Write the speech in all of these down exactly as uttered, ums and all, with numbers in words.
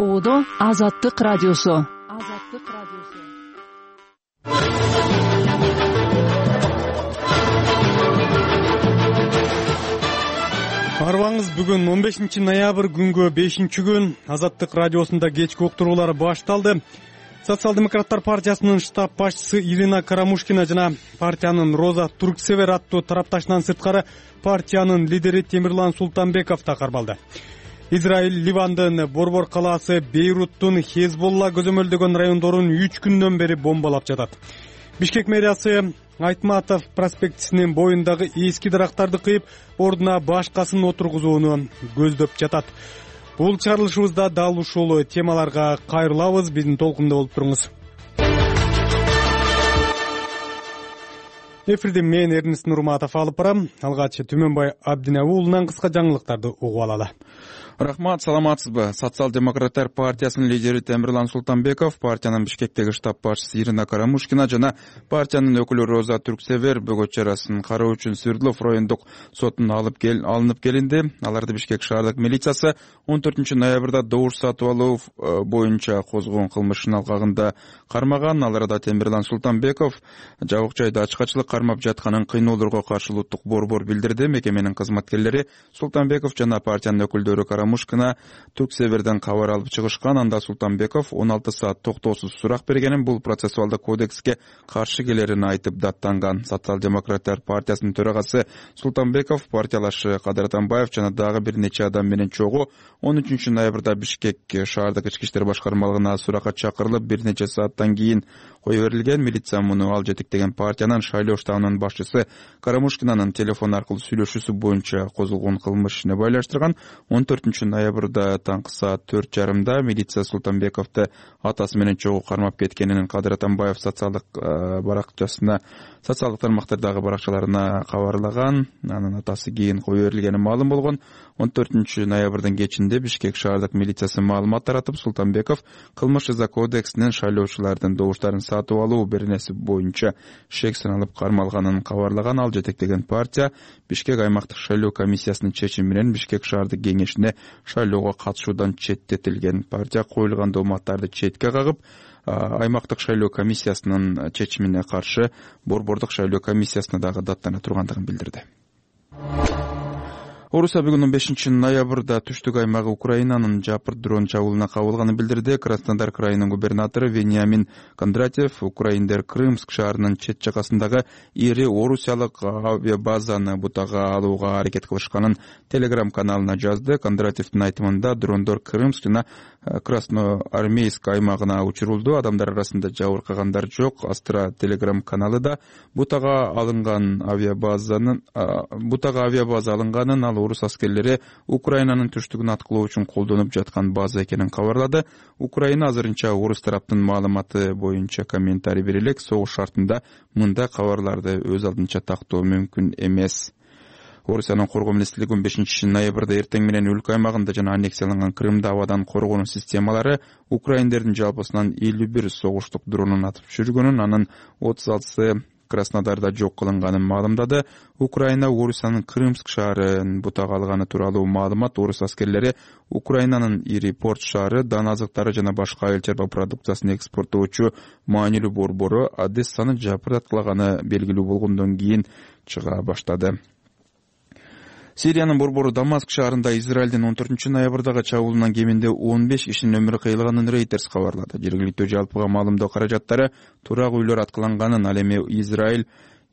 Оодо Азаттык радиосу. Азаттык радиосу. Арбаңыз бүгүн он бешинчи ноябрь күнгө бешинчи күн Азаттык радиосунда кечки уктуруулар башталды. Социал-демократтар партиясынын штаб башчысы Ирина Карамушкина жана партиянын Роза Турксевер аттуу тарапташынан сырткары партиянын лидери Темирлан Султанбеков да кармалды. Израиль Ливандын Борбор калаасы Бейруттун Хезболла көзөмөлдөгөн райондорун үч күндөн бери бомбалап жатат. Бишкек мэриясы Айтматов проспектисинин боюндагы эски дарактарды кыйып, ордуна башкасын отургузууну көздөп жатат. Бул чыгарылышыбызда дал ушул темаларга кайрылабыз. Биздин толкунда болуп туруңуз. Эфирди мен Эрнест Нурматов алып барам. Алгач Түмөнбай Абдинабы уулунан кыска жаңылыктарды угуп алалы. Рахмат, саламатсызбы? Социал-демократтар партиясынын лидери Темирлан Султанбеков, партиянын Бишкектеги штаб башчысы Ирина Карамушкина жана партиянын өкүлү Роза Турксевер бөгөт чарасын кароо үчүн Свердлов райондук сотуна алып кел алынып келинди. Аларды Бишкек шаардык милициясы он төртүнчү ноябрда добуш сатып алуу боюнча козгогон кылмыштын алкагында кармаган. Аларда Темирлан Султанбеков жабык жайда ачкачылык кармап жатканын кыйноолорго каршы улуттук борбор билдирди. Мекеменин кызматкерлери Султанбеков жана партиянын өкүлдөрү Карамушкина Турксеверден кабар алып чыгышкан. Анда Султанбеков он алты саат токтоосуз сурак бергенин, бул процессуалдык кодекске каршы келерин айтып даттанган. Социал-демократтар партиясынын төрагасы Султанбеков партиялашы Кадыр Атамбаев жана дагы бир нече адам менен чогуу он үчүнчү ноябрда Бишкек шаардык ички иштер башкармалыгына суракка чакырылып, бир нече сааттан кийин кое берилген. Милиция муну ал жетектеген партиянын шайлоо штабынын башчысы Карамушкинанын телефон аркылуу сүйлөшүүсү боюнча козголгон кылмыш ишине байланыштырган. он төртүнчү ноябрда таңкы саат төрт жарымда милиция Султанбековду атасы менен чогуу кармап кеткенин Кадыр Атамбаев социалдык баракчасына, социалдык тармактардагы баракчаларына кабарлаган. Анын атасы кийин кое берилгени маалым болгон. он төртүнчү ноябрдын кечинде Бишкек шаардык милициясы маалымат таратып, Султанбеков кылмыш жаза кодексинин шайлоочулардын добуштарын сатып алуу беренеси боюнча шек саналып кармалганын кабарлаган. Ал жетектеген партия Бишкек аймактык шайлоо комиссиясынын чечими менен Бишкек шаардык кеңешине шайлоого катышуудан четтетилген. Партия коюлган дооматтарды четке кагып, аймактык шайлоо комиссиясынын чечимине каршы борбордук шайлоо комиссиясына дагы даттана тургандыгын билдирди. Орусия бүгүн он бешинчи ноябрда түштүк аймагы Украинанын жапыр дрон чабуулуна кабылганын билдирди. Краснодар крайынын губернатору Вениамин Кондратьев украиндер Крымск шаарынын чет жакасындагы ири орусиялык авиабазаны бутага алууга аракет кылышканын Телеграм каналына жазды. Кондратьевдин айтымында дрондор Крымск жана Красноармейск аймагына учурулду. Адамдар арасында жабыркагандар жок. Астра Телеграм каналы да бутага алынган авиабазанын бутага авиабаза алынганын, ал орус аскерлери Украинанын түштүгүн аткылоо үчүн колдонуп жаткан база экенин кабарлады. Украина азырынча орус тараптын маалыматы боюнча комментарий бере элек. Согуш шартында мындай кабарларды өз алдынча тактоо мүмкүн эмес. Орусиянын коргоо министрлиги он бешинчи ноябрда эртең менен өлкө аймагында жана аннексияланган Крымда абадан коргонуу системалары украиндердин жалпысынан элүү бир согуштук дронун атып түшүргөнүн, анын отуз алтысы Краснодарда жок кылынганын маалымдады. Украина Орусиянын Крымск шаарын бутага алганы тууралуу маалымат орус аскерлери Украинанын ири порт шаары, дан азыктары жана башка айыл чарба продукциясын экспорттоочу маанилүү борбору Одессаны жапырткалаганы белгилүү болгондон кийин чыга баштады. Сириянын борбору Дамаск шаарында Израилдин он төртүнчү ноябрдагы чабуулунан кеминде он беш кишинин өмүрү кыйылганын Reuters кабарлады. Жергиликтүү жалпыга маалымдоо каражаттары турак үйлөр аткыланганын, ал эми Израиль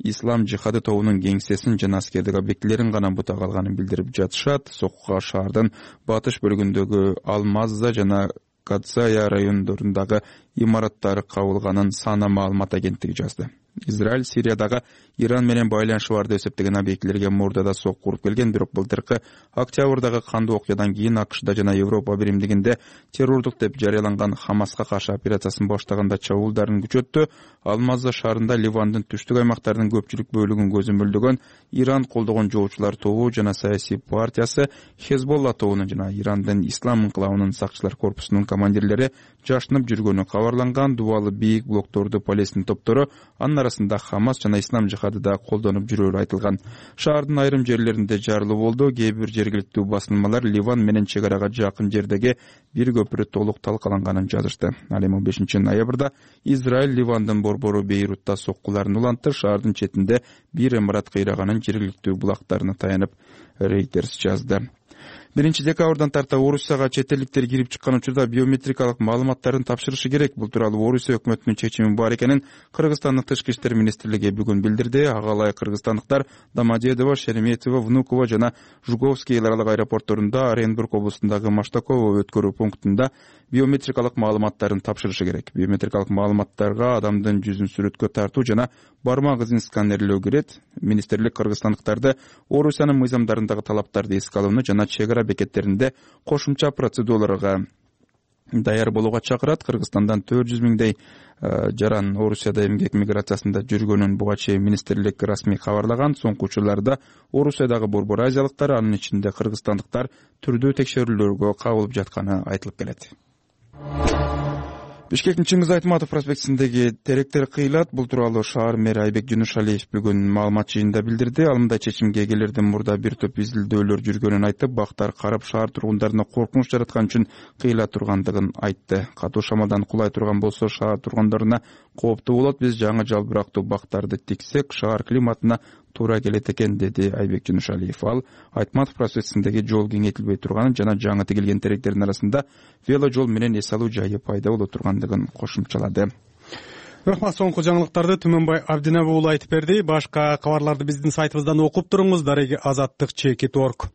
Ислам жихады тобунун кеңсесин жана аскердик объектилерин гана бутага алганын билдирип жатышат. Соккуга шаардын батыш бөлүгүндөгү Алмазза жана Кадсая райондорундагы имараттары кабылганын Сана маалымат агенттиги жазды. Израиль Сириядагы Иран менен байланышы бар деп эсептеген объектилерге мурдада сокку уруп келген, бирок былтыркы октябрдагы кандуу окуядан кийин АКШда жана Европа биримдигинде террордук деп жарыяланган Хамаска каршы операциясын баштаганда чабуулдарын күчөттү. Алмазза шаарында Ливандын түштүк аймактарынын көпчүлүк бөлүгүн көзөмөлдөгөн Иран колдогон жоочулар тобу жана саясий партиясы Хезболла тобунун жана Ирандын Ислам инкылабынын сакчылар корпусунун командирлери жашынып жүргөнү кабарланган. Дубалы бийик блокторду Палестин топтору анын арасында Хамас жана Ислам жихады да колдонуп жүрөөрү айтылган. Шаардын айрым жерлеринде жарылуу болду. Кээ бир жергиликтүү басылмалар Ливан менен чек арага жакын жердеги бир көпүрө толук талкаланганын жазышты. Ал эми бешинчи ноябрда Израиль Ливандын борбору Бейрутта соккуларын улантты. Шаардын четинде бир имарат кыйраганын жергиликтүү булактарына таянып Reuters жазды. биринчи декабрдан тарта Орусияга чет элдиктер кирип чыккан учурда биометрикалык маалыматтарын тапшырышы керек. Бул тууралуу Орусия өкмөтүнүн чечими бар экенин Кыргызстандын Тышкы иштер министрлиги бүгүн билдирди. Ага ылайык кыргызстандыктар Домодедово, Шереметьево, Внуково жана Жуковский эл аралык аэропортторунда, Оренбург облусундагы Маштаково өткөрүү пунктунда биометрикалык маалыматтарын тапшырышы керек. Биометрикалык маалыматтарга адамдын жүзүн сүрөткө тартуу жана бармак изин сканерлөө кирет. Министрлик кыргызстандыктарды Орусиянын мыйзамдарындагы талаптарды эске алууну жана чек ара бекеттеринде кошумча процедураларга даяр болууга чакырат. Кыргызстандан төрт жүз миңдей жаран Орусияда эмгек миграциясында жүргөнүн буга чейин министрлик расмий кабарлаган. Соңку учурларда Орусиядагы борбор азиялыктар, анын ичинде кыргызстандыктар түрдүү текшерүүлөргө кабылып жатканы айтылып келет. Бишкектин Чыңгыз Айтматов проспектисиндеги теректер кыйылат. Бул тууралуу шаар мэри Айбек Жунушалиев бүгүн маалымат жыйынында билдирди. Ал мындай чечимге келерден мурда бир топ изилдөөлөр жүргөнүн айтып, бактар карап шаар тургундарына коркунуч жараткан үчүн кыйыла тургандыгын айтты. Катуу шамалдан кулай турган болсо шаар тургундарына кооптуу болот. Биз жаңы жалбырактуу бактарды тиксек, шаар климатына туура келет экен, деди Айбек Жунушалиев. Ал Айтматов проспектисиндеги жол кеңейтилбей турганын жана жаңы тигилген теректердин арасында вело жол менен эс алуу жайы пайда боло тургандыгын кошумчалады. Рахмат, соңку жаңылыктарды Түмөнбай Абдинабы уулу айтып берди. Башка кабарларды биздин сайтыбыздан окуп туруңуз. Дареги азаттык чеки торг.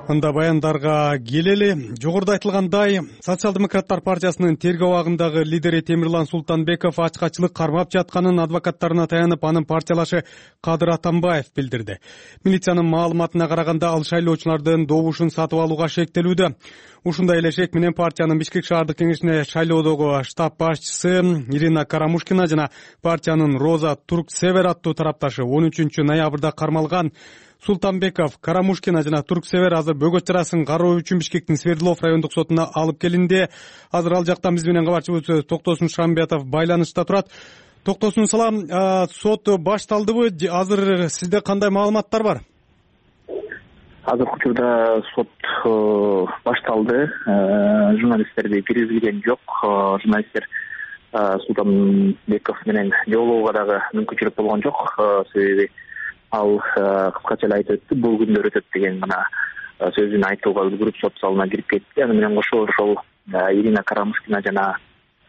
Анда баяндарга келели. Жогоруда айтылгандай, Социал-демократтар партиясынын тергөө абагындагы лидери Темирлан Султанбеков ачкачылык кармап жатканын адвокаттарына таянып, анын партиялашы Кадыр Атамбаев билдирди. Милициянын маалыматына караганда, ал шайлоочулардын добушун сатып алууга шектелүүдө. Ушундай эле шек менен партиянын Бишкек шаардык кеңешине шайлоодогу штаб башчысы Ирина Карамушкина жана партиянын Роза Турксевер аттуу тарапташы он үчүнчү ноябрда кармалган. Султанбеков, Карамушкина жана Турксевер азыр бөгөт чарасын кароо үчүн Бишкектин Свердлов райондук сотуна алып келинди. Азыр ал жактан биз менен кабарчыбыз Токтосун Шамбетов байланышта турат. Токтосун салам, сот башталдыбы? Азыр сизде кандай маалыматтар бар? Азыркы учурда сот башталды. Журналисттерди киргизилген жок. Журналисттер Султанбеков менен жолугууга дагы мүмкүнчүлүк болгон жок. Себеби ал кыскача эле айтып өттү, бул күндөр өтөт деген гана сөзүн айтууга үлгүрүп сот залына кирип кетти. Аны менен кошо ошол Ирина Карамушкина жана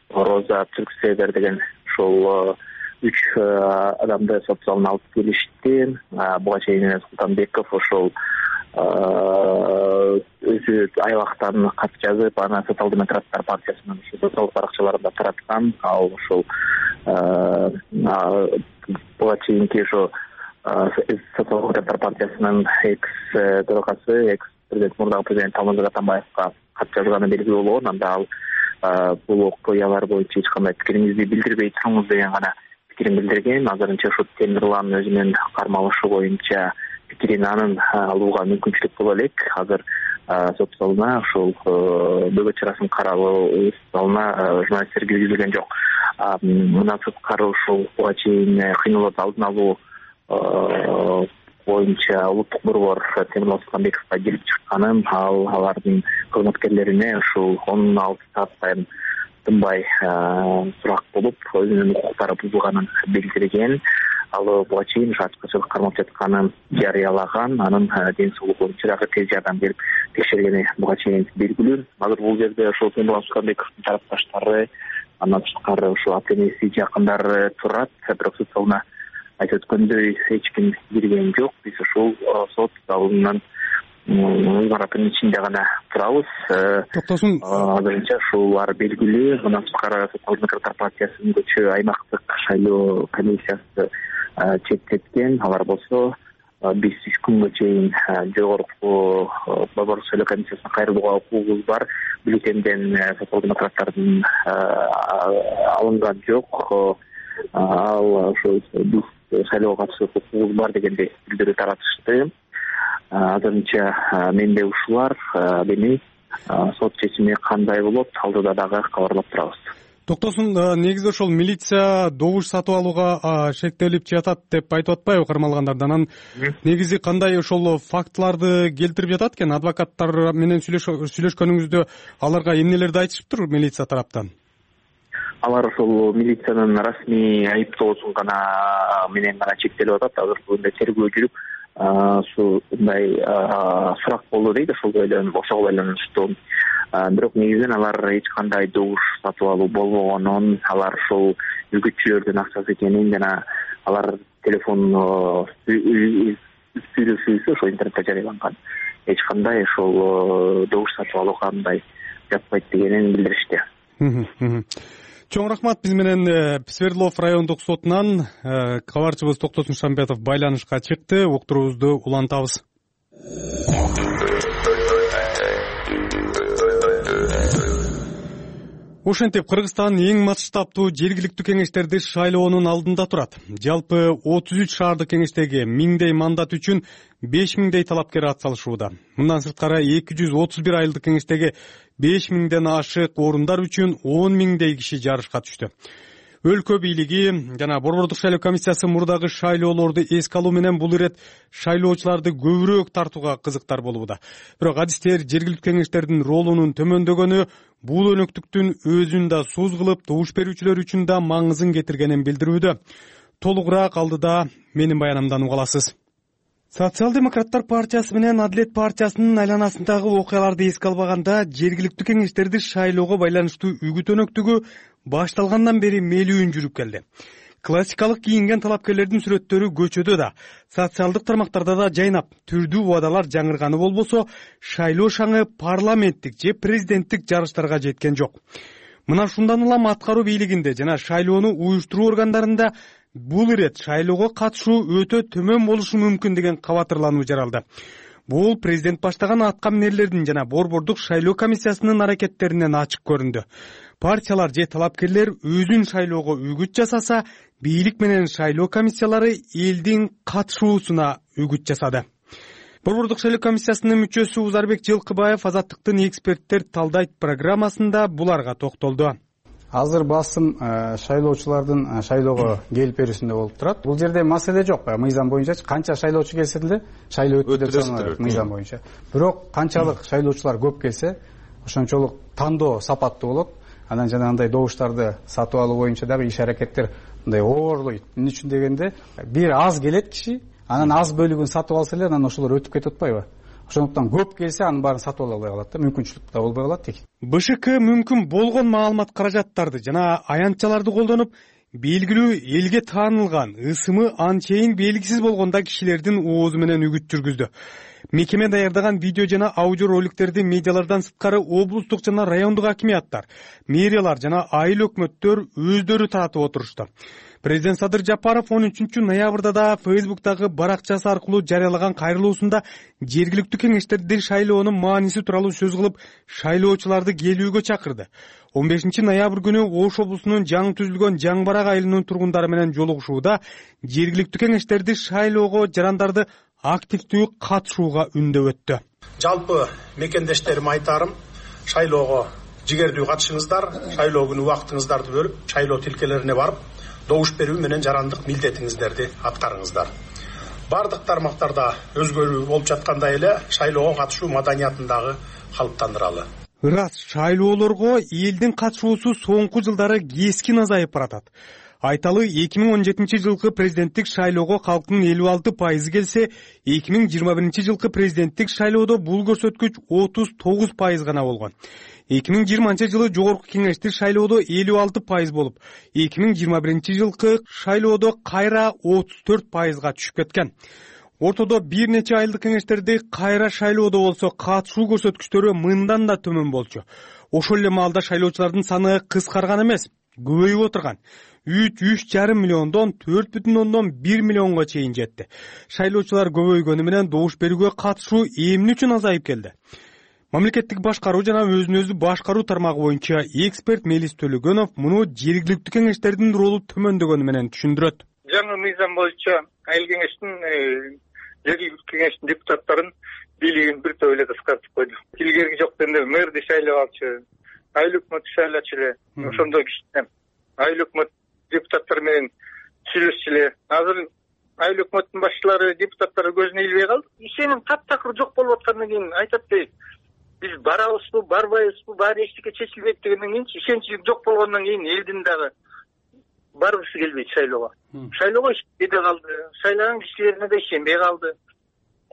Роза Турксевер деген ошол үч адамды сот залына алып келишти. Буга чейин Султанбеков ошол өзү айлактан кат жазып, аны Социал-демократтар партиясынын социалдык баракчаларында тараткан. Ал ошол буга чейинки ошо Социал-демократтар партиясынын экс төрагасы, экс президент мурдагы президент Алмазбек Атамбаевга кат жазганы белгилүү болгон. Анда ал бул окуялар боюнча эч кандай пикириңизди билдирбей туруңуз деген гана пикирин билдирген. Азырынча ошо Темирлан өзүнүн кармалышы боюнча пикирин анын алууга мүмкүнчүлүк боло элек. Азыр сот залына ошол бөгөт чарасын кароо залына журналисттер киргизилген жок. Мына сырткары ошол буга чейин кыйноолорду алдын алуу боюнча улуттук борбор Темирлан Султанбековго келип чыкканын, ал алардын кызматкерлерине ушул он алты сааттан тынбай сурак болуп, өзүнүн укуктары бузулганын билдирген. Ал буга чейин ачкачылык кармап жатканын жарыялаган, анын ден соолугу боюнча дагы тез жардам берип текшергени буга чейин белгилүү. Азыр бул жерде ошол Темирлан Султанбековдун тарапташтары, андан тышкары ошол ата-энеси, жакындары турат. Бирок сот залына айтып өткөндөй эч ким кирген жок. Биз ошол сот залынын имараттын ичинде гана турабыз. Токтосун. Азырынча ушулар белгилүү. Мындан тышкары Социал-демократтар партиясынын көчө аймактык шайлоо комиссиясы четтеткен. Алар болсо биз үч күнгө чейин жогорку борбор шайлоо комиссиясына кайрылууга укугубуз бар. Бюллетенден Социал-демократтардын алынган жок. Ал ошо биз шайлоого катышып укугубуз бар дегенди билдирүү таратышты. азырынча менде ушулар. Демек сот чечими кандай болот, алдыда дагы кабарлап турабыз. Токтосун, негизи ошол милиция добуш сатып алууга шектелип жатат деп айтып атпайбы кармалгандардан? Анан негизи кандай ошол фактыларды келтирип жатат экен? Адвокаттар менен сүйлөшкөнүңүздө аларга эмнелерди айтышыптыр милиция тараптан? Алар ошол милициянын расмий айыптоосун гана менен гана чектелип атат. Азыркы күндө тергөө жүрүп, ушундай сурак болду дейт, ошого байланыштуу. Бирок негизинен алар эч кандай добуш сатып алуу болбогонун, алар ошол үгүтчүлөрдүн акчасы экенин жана алар телефон сүйлөшүүсү ошол интернетте жарыяланган. Эч кандай ошол добуш сатып алуу кандай жатпайт дегенин билдиришти. Чоң рахмат. Биз менен Свердлов райондук сотунан кабарчыбыз Токтосун Шамбетов байланышка чыкты. Уктуруубузду улантабыз. Ошентип, Кыргызстан эң масштабтуу жергиликтүү кеңештерди шайлоонун алдында турат. Жалпы отуз үч шаардык кеңештеги миңдей мандат үчүн беш миңдей талапкер ат салышууда. Мындан сырткары эки жүз отуз бир айылдык кеңештеги беш миңден ашык орундар үчүн он миңдей киши жарышка түштү. Өлкө бийлиги жана Борбордук шайлоо комиссиясы мурдагы шайлоолорду эске алуу менен бул ирет шайлоочуларды көбүрөөк тартууга кызыктар болууда. Бирок адистер жергиликтүү кеңештердин ролунун төмөндөгөнү бул өнөктүктүн өзүн да сууз кылып, добуш берүүчүлөр үчүн да маңызын кетиргенин билдирүүдө. Толугураак алдыда менин баянымдан уга аласыз. Социал-демократтар партиясы менен Адилет партиясынын айланасындагы окуяларды эске албаганда, жергиликтүү кеңештерди шайлоого байланыштуу үгүт өнөктүгү башталгандан бери мелүүн жүрүп келди. Классикалык кийинген талапкерлердин сүрөттөрү көчөдө да, социалдык тармактарда да жайнап, түрдүү убадалар жаңырганы болбосо, шайлоо шаңы парламенттик же президенттик жарыштарга жеткен жок. Мына ушундан улам аткаруу бийлигинде жана шайлоону уюштуруу органдарында бул ирет шайлоого катышуу өтө төмөн болушу мүмкүн деген кабатырлануу жаралды. Бул президент баштаган атка минерлердин жана Борбордук шайлоо комиссиясынын аракеттеринен ачык көрүндү. Партиялар же талапкерлер өзүн шайлоого үгүт жасаса, бийлик менен шайлоо комиссиялары элдин катышуусуна үгүт жасады. Борбордук шайлоо комиссиясынын мүчөсү Узарбек Жылкыбаев Азаттыктын эксперттер талдайт программасында буларга токтолду. Азыр басым шайлоочулардын шайлоого келип берүүсүндө болуп турат. Бул жерде маселе жок. Мыйзам боюнча канча шайлоочу келсе деле шайлоо өттү деп саналат мыйзам боюнча. Бирок канчалык шайлоочулар көп келсе, ошончолук тандоо сапаттуу болот. Анан жанагындай добуштарды сатып алуу боюнча дагы иш аракеттер мындай оорлойт. Эмне үчүн дегенде, бир аз келет киши, анан аз бөлүгүн сатып алса эле, анан ошолор өтүп кетип атпайбы? Ошондуктан көп келсе, анын баарын сатып ала албай калат да, мүмкүнчүлүк да болбой калат дейт. БШК мүмкүн болгон маалымат каражаттарды жана аянтчаларды колдонуп, белгилүү элге таанылган, ысымы анчейин белгисиз болгондо кишилердин оозу менен үгүт жүргүздү. Мекеме даярдаган видео жана аудио роликтерди медиалардан сырткары облустук жана райондук акимияттар, мэриялар жана айыл өкмөттөр өздөрү таратып отурушту. Президент Садыр Жапаров он үчүнчү ноябрда да Фейсбуктагы баракчасы аркылуу жарыялаган кайрылуусунда жергиликтүү кеңештердин шайлоонун мааниси тууралуу сөз кылып, шайлоочуларды келүүгө чакырды. он бешинчи ноябрь күнү Ош облусунун жаңы түзүлгөн Жаңбарак айылынын тургундары менен жолугушууда жергиликтүү кеңештерди шайлоого жарандарды активдүү катышууга үндөп өттү. Жалпы мекендештериме айтарым, шайлоого жигердүү катышыңыздар, шайлоо күнү убактыңыздарды бөлүп, шайлоо тилкелерине барып, добуш берүү менен жарандык милдетиңиздерди аткарыңыздар. Бардык тармактарда өзгөрүү болуп жаткандай эле шайлоого катышуу маданиятын дагы калыптандыралы. Ырас, шайлоолорго элдин катышуусу соңку жылдары кескин азайып баратат. Айталы, эки миң он жетинчи жылкы президенттик шайлоого калктын элүү алты пайызы келсе, эки миң жыйырма биринчи жылкы президенттик шайлоодо бул көрсөткүч отуз тогуз пайыз гана болгон. эки миң жыйырманчы жылы жогорку кеңештик шайлоодо элүү алты пайыз болуп, эки миң жыйырма биринчи жылкы шайлоодо кайра отуз төрт пайызга түшүп кеткен. Ортодо бир нече айылдык кеңештерди кайра шайлоодо болсо катышуу көрсөткүчтөрү мындан да төмөн болчу. Ошол эле маалда шайлоочулардын саны кыскарган эмес, көбөйүп отурган. үч жарым миллиондон төрт бүтүн ондон бир миллионго чейин жетти. Шайлоочулар көбөйгөнү менен добуш берүүгө катышуу эмне үчүн азайып келди? Мамлекеттик башкаруу жана өзүн өзү башкаруу тармагы боюнча эксперт Мелис Төлөгөнов муну жергиликтүү кеңештердин ролу төмөндөгөнү менен түшүндүрөт. Жаңы мыйзам боюнча айыл кеңештин жергиликтүү кеңештин депутаттарын бийлигин бир топ эле кыскартып койду. Илгерки жок дегенде мэрди шайлап алчу, айыл өкмөтү шайлачу эле, ошондой кичине айыл өкмөт депутаттар менен сүйлөшчү эле. Азыр айыл өкмөттүн башчылары депутаттары көзүнө илбей калды. Ишеним таптакыр жок болуп аткандан кийин айтат дейт, биз барабызбы, барбайбызбы, баары эчтеке чечилбейт дегенден кийин ишенчилик жок болгондон кийин элдин дагы баргысы келбейт шайлоого. Шайлоого ишенбей калды, шайлаган кишилерине да ишенбей калды.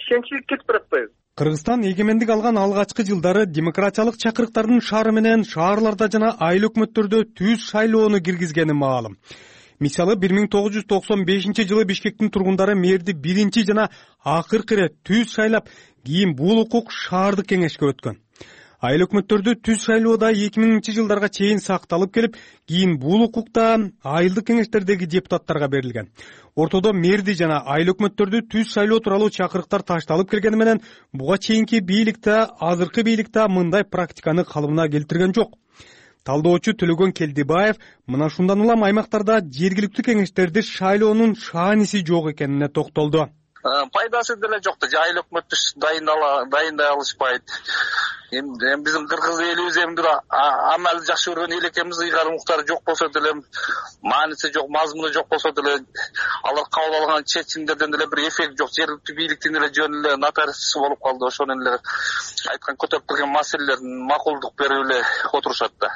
Ишенчилик кетип баратпайбы? Кыргызстан эгемендик алган алгачкы жылдары демократиялык чакырыктардын шаары менен шаарларда жана айыл өкмөттөрдө түз шайлоону киргизгени маалым. Мисалы бир миң тогуз жүз токсон бешинчи жылы Бишкектин тургундары мэрди биринчи жана акыркы ирет түз шайлап, кийин бул укук шаардык кеңешке өткөн. Айыл өкмөттөрдү түз шайлоодо эки миңинчи жылдарга чейин сакталып келип, кийин бул укукта айылдык кеңештердеги депутаттарга берилген. Ортодо мэрди жана айыл өкмөттөрдү түз шайлоо тууралуу чакырыктар ташталып келгени менен буга чейинки бийликте, азыркы бийликте мындай практиканы калыбына келтирген жок. Талдоочу Төлөгөн Келдибаев мына ушундан улам аймактарда жергиликтүү кеңештерди шайлоонун шааниси жок экенине токтолду. Пайдасы деле жок да, айыл өкмөттү дайындай алышпайт. Эми биздин кыргыз элибиз эми амалы жакшы көргөн эл экенбиз, ыйгар муктары жок болсо деле, мааниси жок, мазмуну жок болсо деле, алар кабыл алган чечимдерден деле бир эффект жок. Жергиликтүү бийликтин эле жөн эле нотариусы болуп калды. Ошонун эле айткан көтөрүп келген маселелерин макулдук берип эле отурушат да.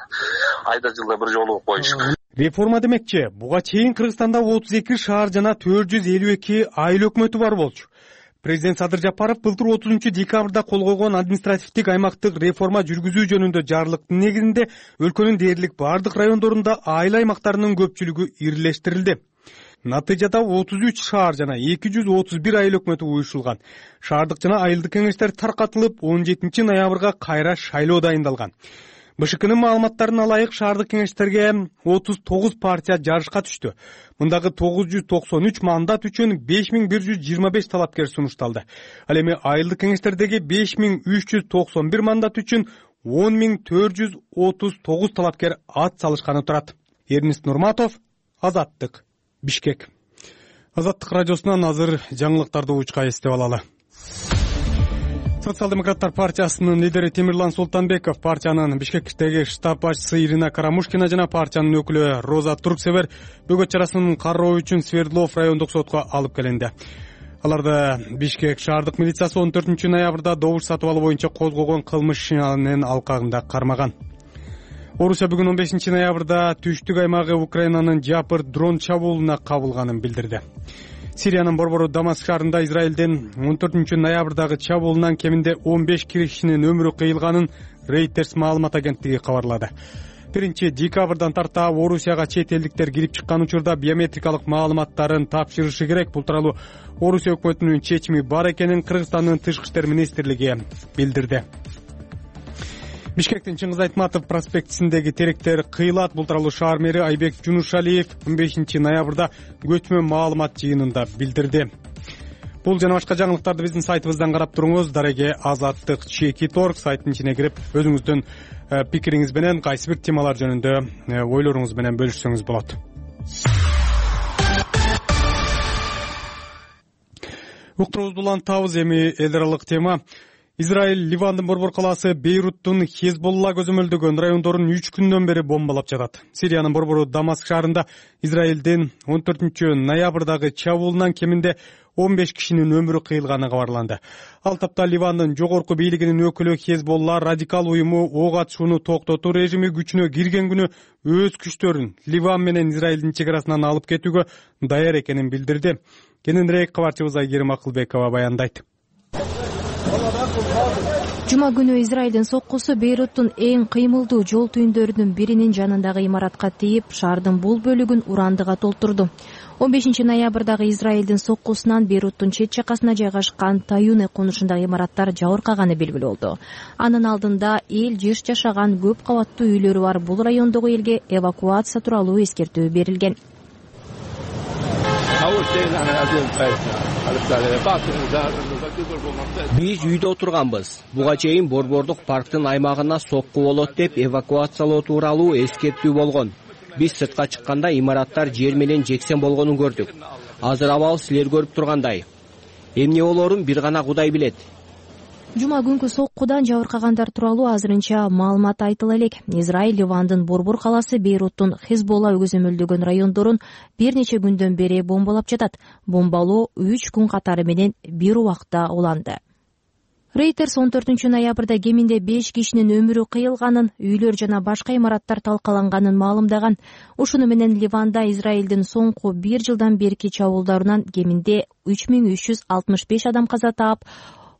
Айда жылда бир жолу коюш. Реформа демекчи, буга чейин Кыргызстанда отуз эки шаар жана төрт жүз элүү эки айыл өкмөтү бар болчу. Президент Садыр Жапаров былтыр отузунчу декабрда кол койгон административдик аймактык реформа жүргүзүү жөнүндө жарлыктын негизинде өлкөнүн дээрлик бардык райондорунда айыл аймактарынын көпчүлүгү ирилештирилди. Натыйжада отуз үч шаар жана эки жүз отуз бир айыл өкмөтү уюшулган. Шаардык жана айылдык кеңештер таркатылып, он жетинчи ноябрга кайра шайлоо дайындалган. БШКнын маалыматтарына ылайык шаардык кеңештерге отуз тогуз партия жарышка түштү. Мындагы тогуз жүз токсон үч мандат үчүн беш миң бир жүз жыйырма беш талапкер сунушталды. Ал эми айылдык кеңештердеги беш миң үч жүз токсон бир мандат үчүн он миң төрт жүз отуз тогуз талапкер ат салышканы турат. Эрнест Нурматов, Азаттык, Бишкек. Азаттык радиосунан азыр жаңылыктарды учка эстеп алалы. Социал-демократтар партиясынын лидери Темирлан Султанбеков партиянын Бишкектеги штаб башчысы Ирина Карамушкина жана партиянын өкүлү Роза Турксевер бөгөт чарасын кароо үчүн Свердлов райондук сотко алып келинди. Аларды Бишкек шаардык милициясы он төртүнчү ноябрда добуш сатып алуу боюнча козгогон кылмыш ишинин алкагында кармаган. Орусия бүгүн он бешинчи ноябрда түштүк аймагы Украинанын жапыр дрон чабуулуна кабылганын билдирди. Сириянын борбору Дамаск шаарында Израилдин он төртүнчү ноябрдагы чабуулунан кеминде он беш кишинин өмүрү кыйылганын Reuters маалымат агенттиги кабарлады. биринчи декабрдан тарта Орусияга чет элдиктер кирип чыккан учурда биометрикалык маалыматтарын тапшырышы керек. Бул тууралуу Орусия өкмөтүнүн чечими бар экенин Кыргызстандын тышкы иштер министрлиги билдирди. Бишкектин Чыңгыз Айтматов проспектисиндеги теректер кыйылат. Бул тууралуу шаар мэри Айбек Жунушалиев он бешинчи ноябрда көчмө маалымат жыйынында билдирди. Бул жана башка жаңылыктарды биздин сайтыбыздан карап туруңуз. Дареге Азаттык чекит орг сайттын ичине кирип, өзүңүздүн пикириңиз менен кайсы бир темалар жөнүндө ойлоруңуз менен бөлүшсөңүз болот. Уктуруубузду улантабыз. Эми эл аралык тема. Израиль Ливандын борбор калаасы Бейруттун Хезболла көзөмөлдөгөн райондорун үч күндөн бери бомбалап жатат. Сириянын борбору Дамаск шаарында Израилдин он төртүнчү ноябрдагы чабуулунан кеминде он беш кишинин өмүрү кыйылганы кабарланды. Ал тапта Ливандын жогорку бийлигинин өкүлү Хезболла радикал уюму ок атышууну токтотуу режими күчүнө кирген күнү өз күчтөрүн Ливан менен Израилдин чек арасынан алып кетүүгө даяр экенин билдирди. Кененирээк кабарчыбыз Айгерим Акылбекова баяндайт. Жума күнү Израилдин соккусу Бейруттун эң кыймылдуу жол түйүндөрүнүн биринин жанындагы имаратка тийип, шаардын бул бөлүгүн урандыга толтурду. он бешинчи ноябрдагы Израилдин соккусунан Бейруттун чет жакасына жайгашкан Таюне конушундагы имараттар жабыркаганы белгилүү болду. Анын алдында эл жыш жашаган көп кабаттуу үйлөрү бар бул райондогу элге эвакуация тууралуу эскертүү берилген. Биз үйдө отурганбыз. Буга чейин борбордук парктын аймагына сокку болот деп эвакуациялоо тууралуу эскертүү болгон. Биз сыртка чыкканда имараттар жер менен жексен болгонун көрдүк. Азыр абал силер көрүп тургандай. Эмне болорун бир гана Кудай билет. Жума күнкү соккудан жабыркагандар тууралуу азырынча маалымат айтыла элек. Израиль Ливандын Борбор калаасы Бейруттун Хезболла көзөмөлдөгөн райондорун бир нече күндөн бери бомбалап жатат. Бомбалоо үч күн катары менен бир убакта уланды. Рейтерс он төртүнчү ноябрда кеминде беш кишинин өмүрү кыйылганын, үйлөр жана башка имараттар талкаланганын маалымдаган. Ушуну менен Ливанда Израилдин соңку бир жылдан берки чабуулдарынан кеминде үч миң үч жүз алтымыш беш адам каза таап,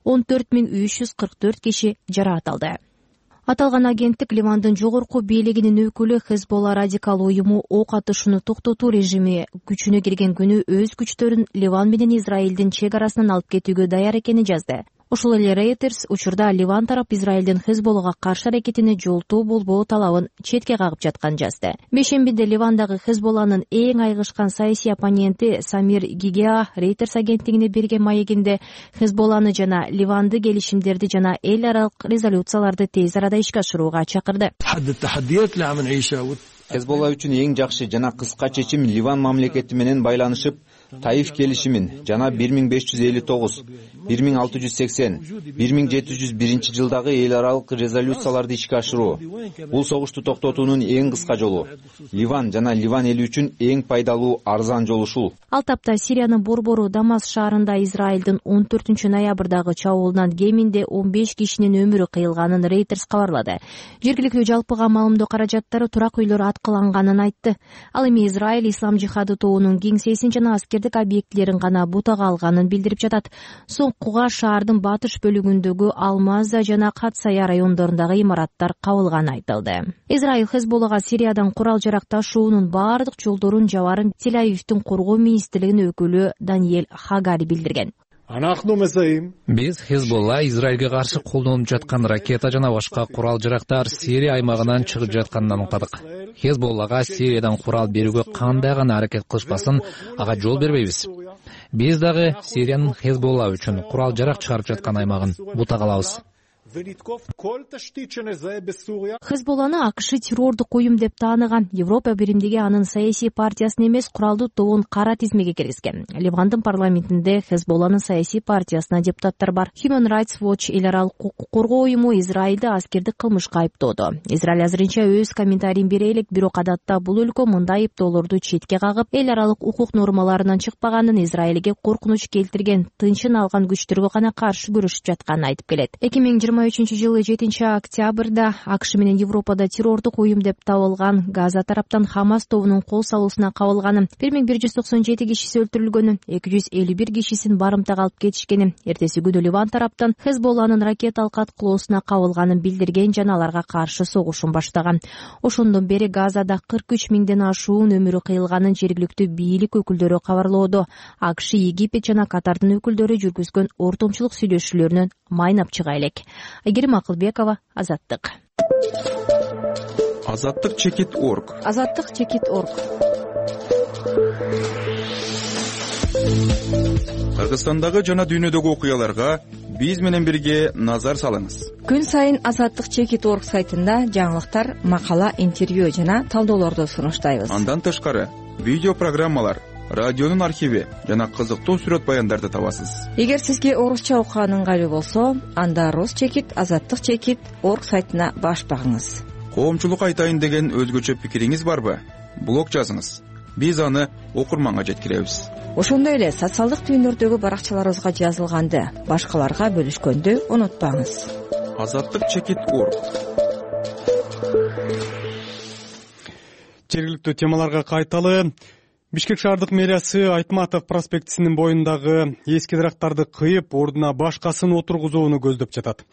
он төрт миң үч жүз кырк төрт киши жараат алды. Аталган агенттик Ливандын жогорку бийлигинин өкүлү Хезболла радикал уюму ок атышууну токтотуу режими күчүнө кирген күнү өз күчтөрүн Ливан менен Израилдин чек арасынан алып кетүүгө даяр экенин жазды. Ошол эле Reuters учурда Ливан тарап Израилдин Хезболлага каршы аракетине жолтоо болбоо талабын четке кагып жатканын жазды. Бешембиде Ливандагы Хезболланын эң айгышкан саясий оппоненти Самир Гигеа Reuters агенттигине берген маегинде Хезболланы жана Ливанды келишимдерди жана эл аралык резолюцияларды тез арада ишке ашырууга чакырды. Хезболла үчүн эң жакшы жана кыска чечим Ливан мамлекети менен байланышып, Таиф келишимин жана бир миң беш жүз элүү тогуз, бир миң алты жүз сексен, бир миң жети жүз биринчи жылдагы эл аралык резолюцияларды ишке ашыруу. Бул согушту токтотуунун эң кыска жолу. Ливан жана Ливан эли үчүн эң пайдалуу арзан жол ушул. Ал тапта Сириянын борбору Дамас шаарында Израилдин он төртүнчү ноябрдагы чабуулунан кеминде он беш кишинин өмүрү кыйылганын Reuters кабарлады. Жергиликтүү жалпыга маалымдоо каражаттары турак үйлөр аткыланганын айтты. Ал эми Израиль ислам жихады тобунун кеңсесин жана аскердик объектилерин гана бутага алганын билдирип жатат. Соңкуга шаардын батыш бөлүгүндөгү Алмаза жана Катсая райондорундагы имараттар кабылганы айтылды. Израиль Хезболлага Сириядан курал жарак ташуунун бардык жолдорун жабарын Тель-Авивдин коргоо министрлигинин өкүлү Даниэль Хагари билдирген. Биз Хезболла Израилге каршы колдонуп жаткан ракета жана башка курал жарактар Сирия аймагынан чыгып жатканын аныктадык. Хезболлага Сириядан курал берүүгө кандай гана аракет кылышпасын, ага жол бербейбиз. Биз дагы Сириянын Хезболла үчүн курал жарак чыгарып жаткан аймагын бутага алабыз. Хезболланы АКШ террордук уюм деп тааныган. Европа биримдиги анын саясий партиясын эмес, куралдуу тобун кара тизмеге киргизген. Ливандын парламентинде Хезболланын саясий партиясына депутаттар бар. Human Rights Watch эл аралык укук коргоо уюму Израилди аскердик кылмышка айыптоодо. Израиль азырынча өз комментарийин бере элек, бирок адатта бул өлкө мындай айыптоолорду четке кагып, эл аралык укук нормаларынан чыкпаганын, Израилге коркунуч келтирген, тынчын алган күчтөргө гана каршы күрөшүп жатканын айтып келет. эки миң жыйырма үчүнчү жылы жетинчи октябрда АКШ менен Европада террордук уюм деп табылган Газа тараптан Хамас тобунун кол салуусуна кабылганын, бир миң бир жүз токсон жети кишиси өлтүрүлгөнүн, эки жүз элүү бир кишисин барымтага алып кетишкенин, эртеси күнү Ливан тараптан Хезболланын ракеталык аткылоосуна кабылганын билдирген жана аларга каршы согушун баштаган. Ошондон бери Газада кырк үч миңден ашуун өмүрү кыйылганын жергиликтүү бийлик өкүлдөрү кабарлоодо. АКШ, Египет жана Катардын өкүлдөрү жүргүзгөн ортомчулук сүйлөшүүлөрүнөн майнап чыга элек. Айгерим Акылбекова, Азаттык. Азаттык чекит точка орг. Азаттык чекит точка орг. Кыргызстандагы жана дүйнөдөгү окуяларга биз менен бирге назар салыңыз. Күн сайын Азаттык чекит точка орг сайтында жаңылыктар, макала, интервью жана талдоолорду сунуштайбыз. Андан тышкары видео программалар, радионун архиви жана кызыктуу сүрөт баяндарды табасыз. Эгер сизге орусча окуган ыңгайлуу болсо, анда Рус чекит азаттык чекит точка орг сайтына баш багыңыз. Коомчулук айтайын деген өзгөчө пикириңиз барбы? Блог жазыңыз. Биз аны окурманга жеткиребиз. Ошондой эле социалдык түйүндөрдөгү баракчаларыбызга жазылганды башкаларга бөлүшкөндү унутпаңыз. Азаттык чекит точка орг. Жергиликтүү темаларга кайталы. Бишкек шаардык мэриясы Айтматов проспектисинин боюндагы эски дарактарды кыйып, ордуна башкасын отургузууну көздөп жатат.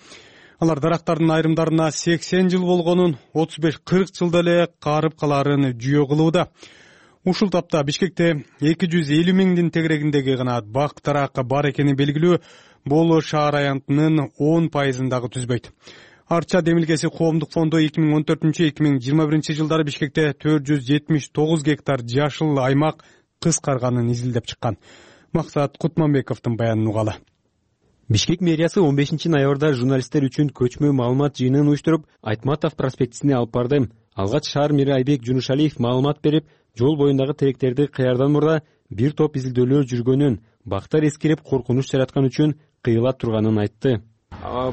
Алар дарактардын айрымдарына сексен жыл болгонун, отуз беш кырк жылда эле карып калаарын жүйө кылууда. Ушул тапта Бишкекте эки жүз элүү миңдин тегерегиндеги гана бак дарак бар экени белгилүү, бул шаар аянтынын он пайызын дагы түзбөйт. Арча демилгеси коомдук фонду эки миң он төртүнчү эки миң жыйырма биринчи жылдары Бишкекте төрт жүз жетимиш тогуз гектар жашыл аймак кыскарганын изилдеп чыккан. Максат Кутманбековдун баянын угалы. Бишкек мэриясы он бешинчи ноябрда журналисттер үчүн көчмө маалымат жыйынын уюштуруп, Айтматов проспектисине алып барды. Алгач шаар мэри Айбек Жунушалиев маалымат берип, жол боюндагы теректерди кыярдан мурда бир топ изилдөөлөр жүргөнүн, бактар эскирип коркунуч жараткан үчүн кыйыла турганын айтты.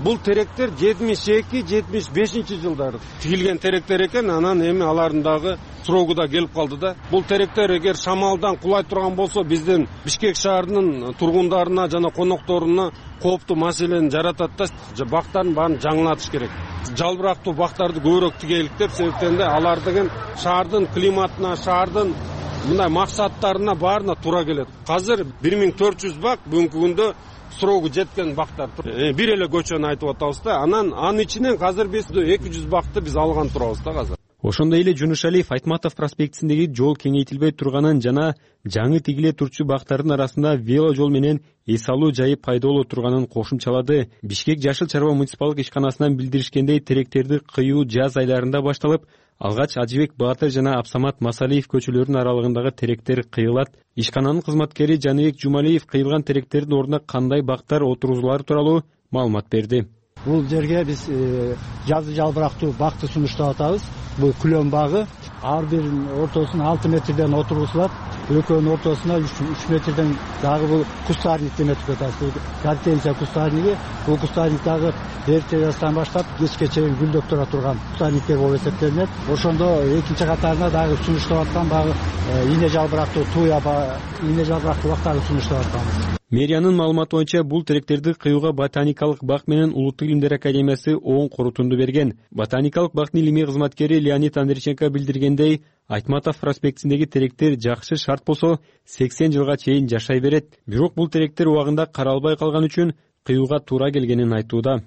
Бул теректер жетимиш эки жетимиш бешинчи жылдары тигилген теректер экен, анан эми алардын дагы срогу да келип калды да. Бул теректер эгер шамалдан кулай турган болсо биздин Бишкек шаарынын тургундарына жана конокторуна кооптуу маселени жаратат да. Бактардын баарын жаңылатыш керек. Жалбырактуу бактарды көбүрөөк тигелик деп, себептен да алар деген шаардын климатына, шаардын мындай максаттарына баарына туура келет. Азыр бир миң төрт жүз бак бүгүнкү күндө срогу жеткен бактар. Бир эле көчөнү айтып атабыз да. Анан анын ичинен азыр биз эки жүз бакты биз алган турабыз да азыр. Ошондой эле Жунушалиев Айтматов проспектисиндеги жол кеңейтилбей турганын жана жаңы тигиле турчу бактардын арасында вело жол менен эс алуу жайы пайда боло турганын кошумчалады. Бишкек Жашыл Чарба муниципалдык ишканасынан билдиришкендей, теректерди кыюу жаз айларында башталып, алгач Ажыбек Баатыр жана Абсамат Масалиев көчөлөрүнүн аралыгындагы теректер кыйылат. Ишкананын кызматкери Жаныбек Жумалиев кыйылган теректердин ордуна кандай бактар отургузулары тууралуу маалымат берди. Бул жерге биз жазы жалбырактуу бакты сунуштап атабыз. Бул күлөн багы. Ар биринин ортосуна алты метрден отургузулат. Экөөнүн ортосуна үч метрден дагы бул кустарник деп атабыз. Гортензия кустарниги. Бул кустарник дагы эрте жаздан баштап кечке чейин гүлдөп тура турган кустарниктер болуп эсептелинет. Ошондо экинчи катарына дагы сунуштап аткан багы ийне жалбырактуу туя ийне жалбырактуу бактарды сунуштап атканбыз. Мэриянын маалыматы боюнча бул теректерди кыюуга Ботаникалык бак менен Улуттук илимдер академиясы оң корутунду берген. Ботаникалык бактын илимий кызматкери Леонид Андрейченко билдиргендей, Айтматов проспектисиндеги теректер жакшы шарт болсо сексен жылга чейин жашай берет. Бирок бул теректер убагында каралбай калган үчүн кыюуга туура келгенин айтууда.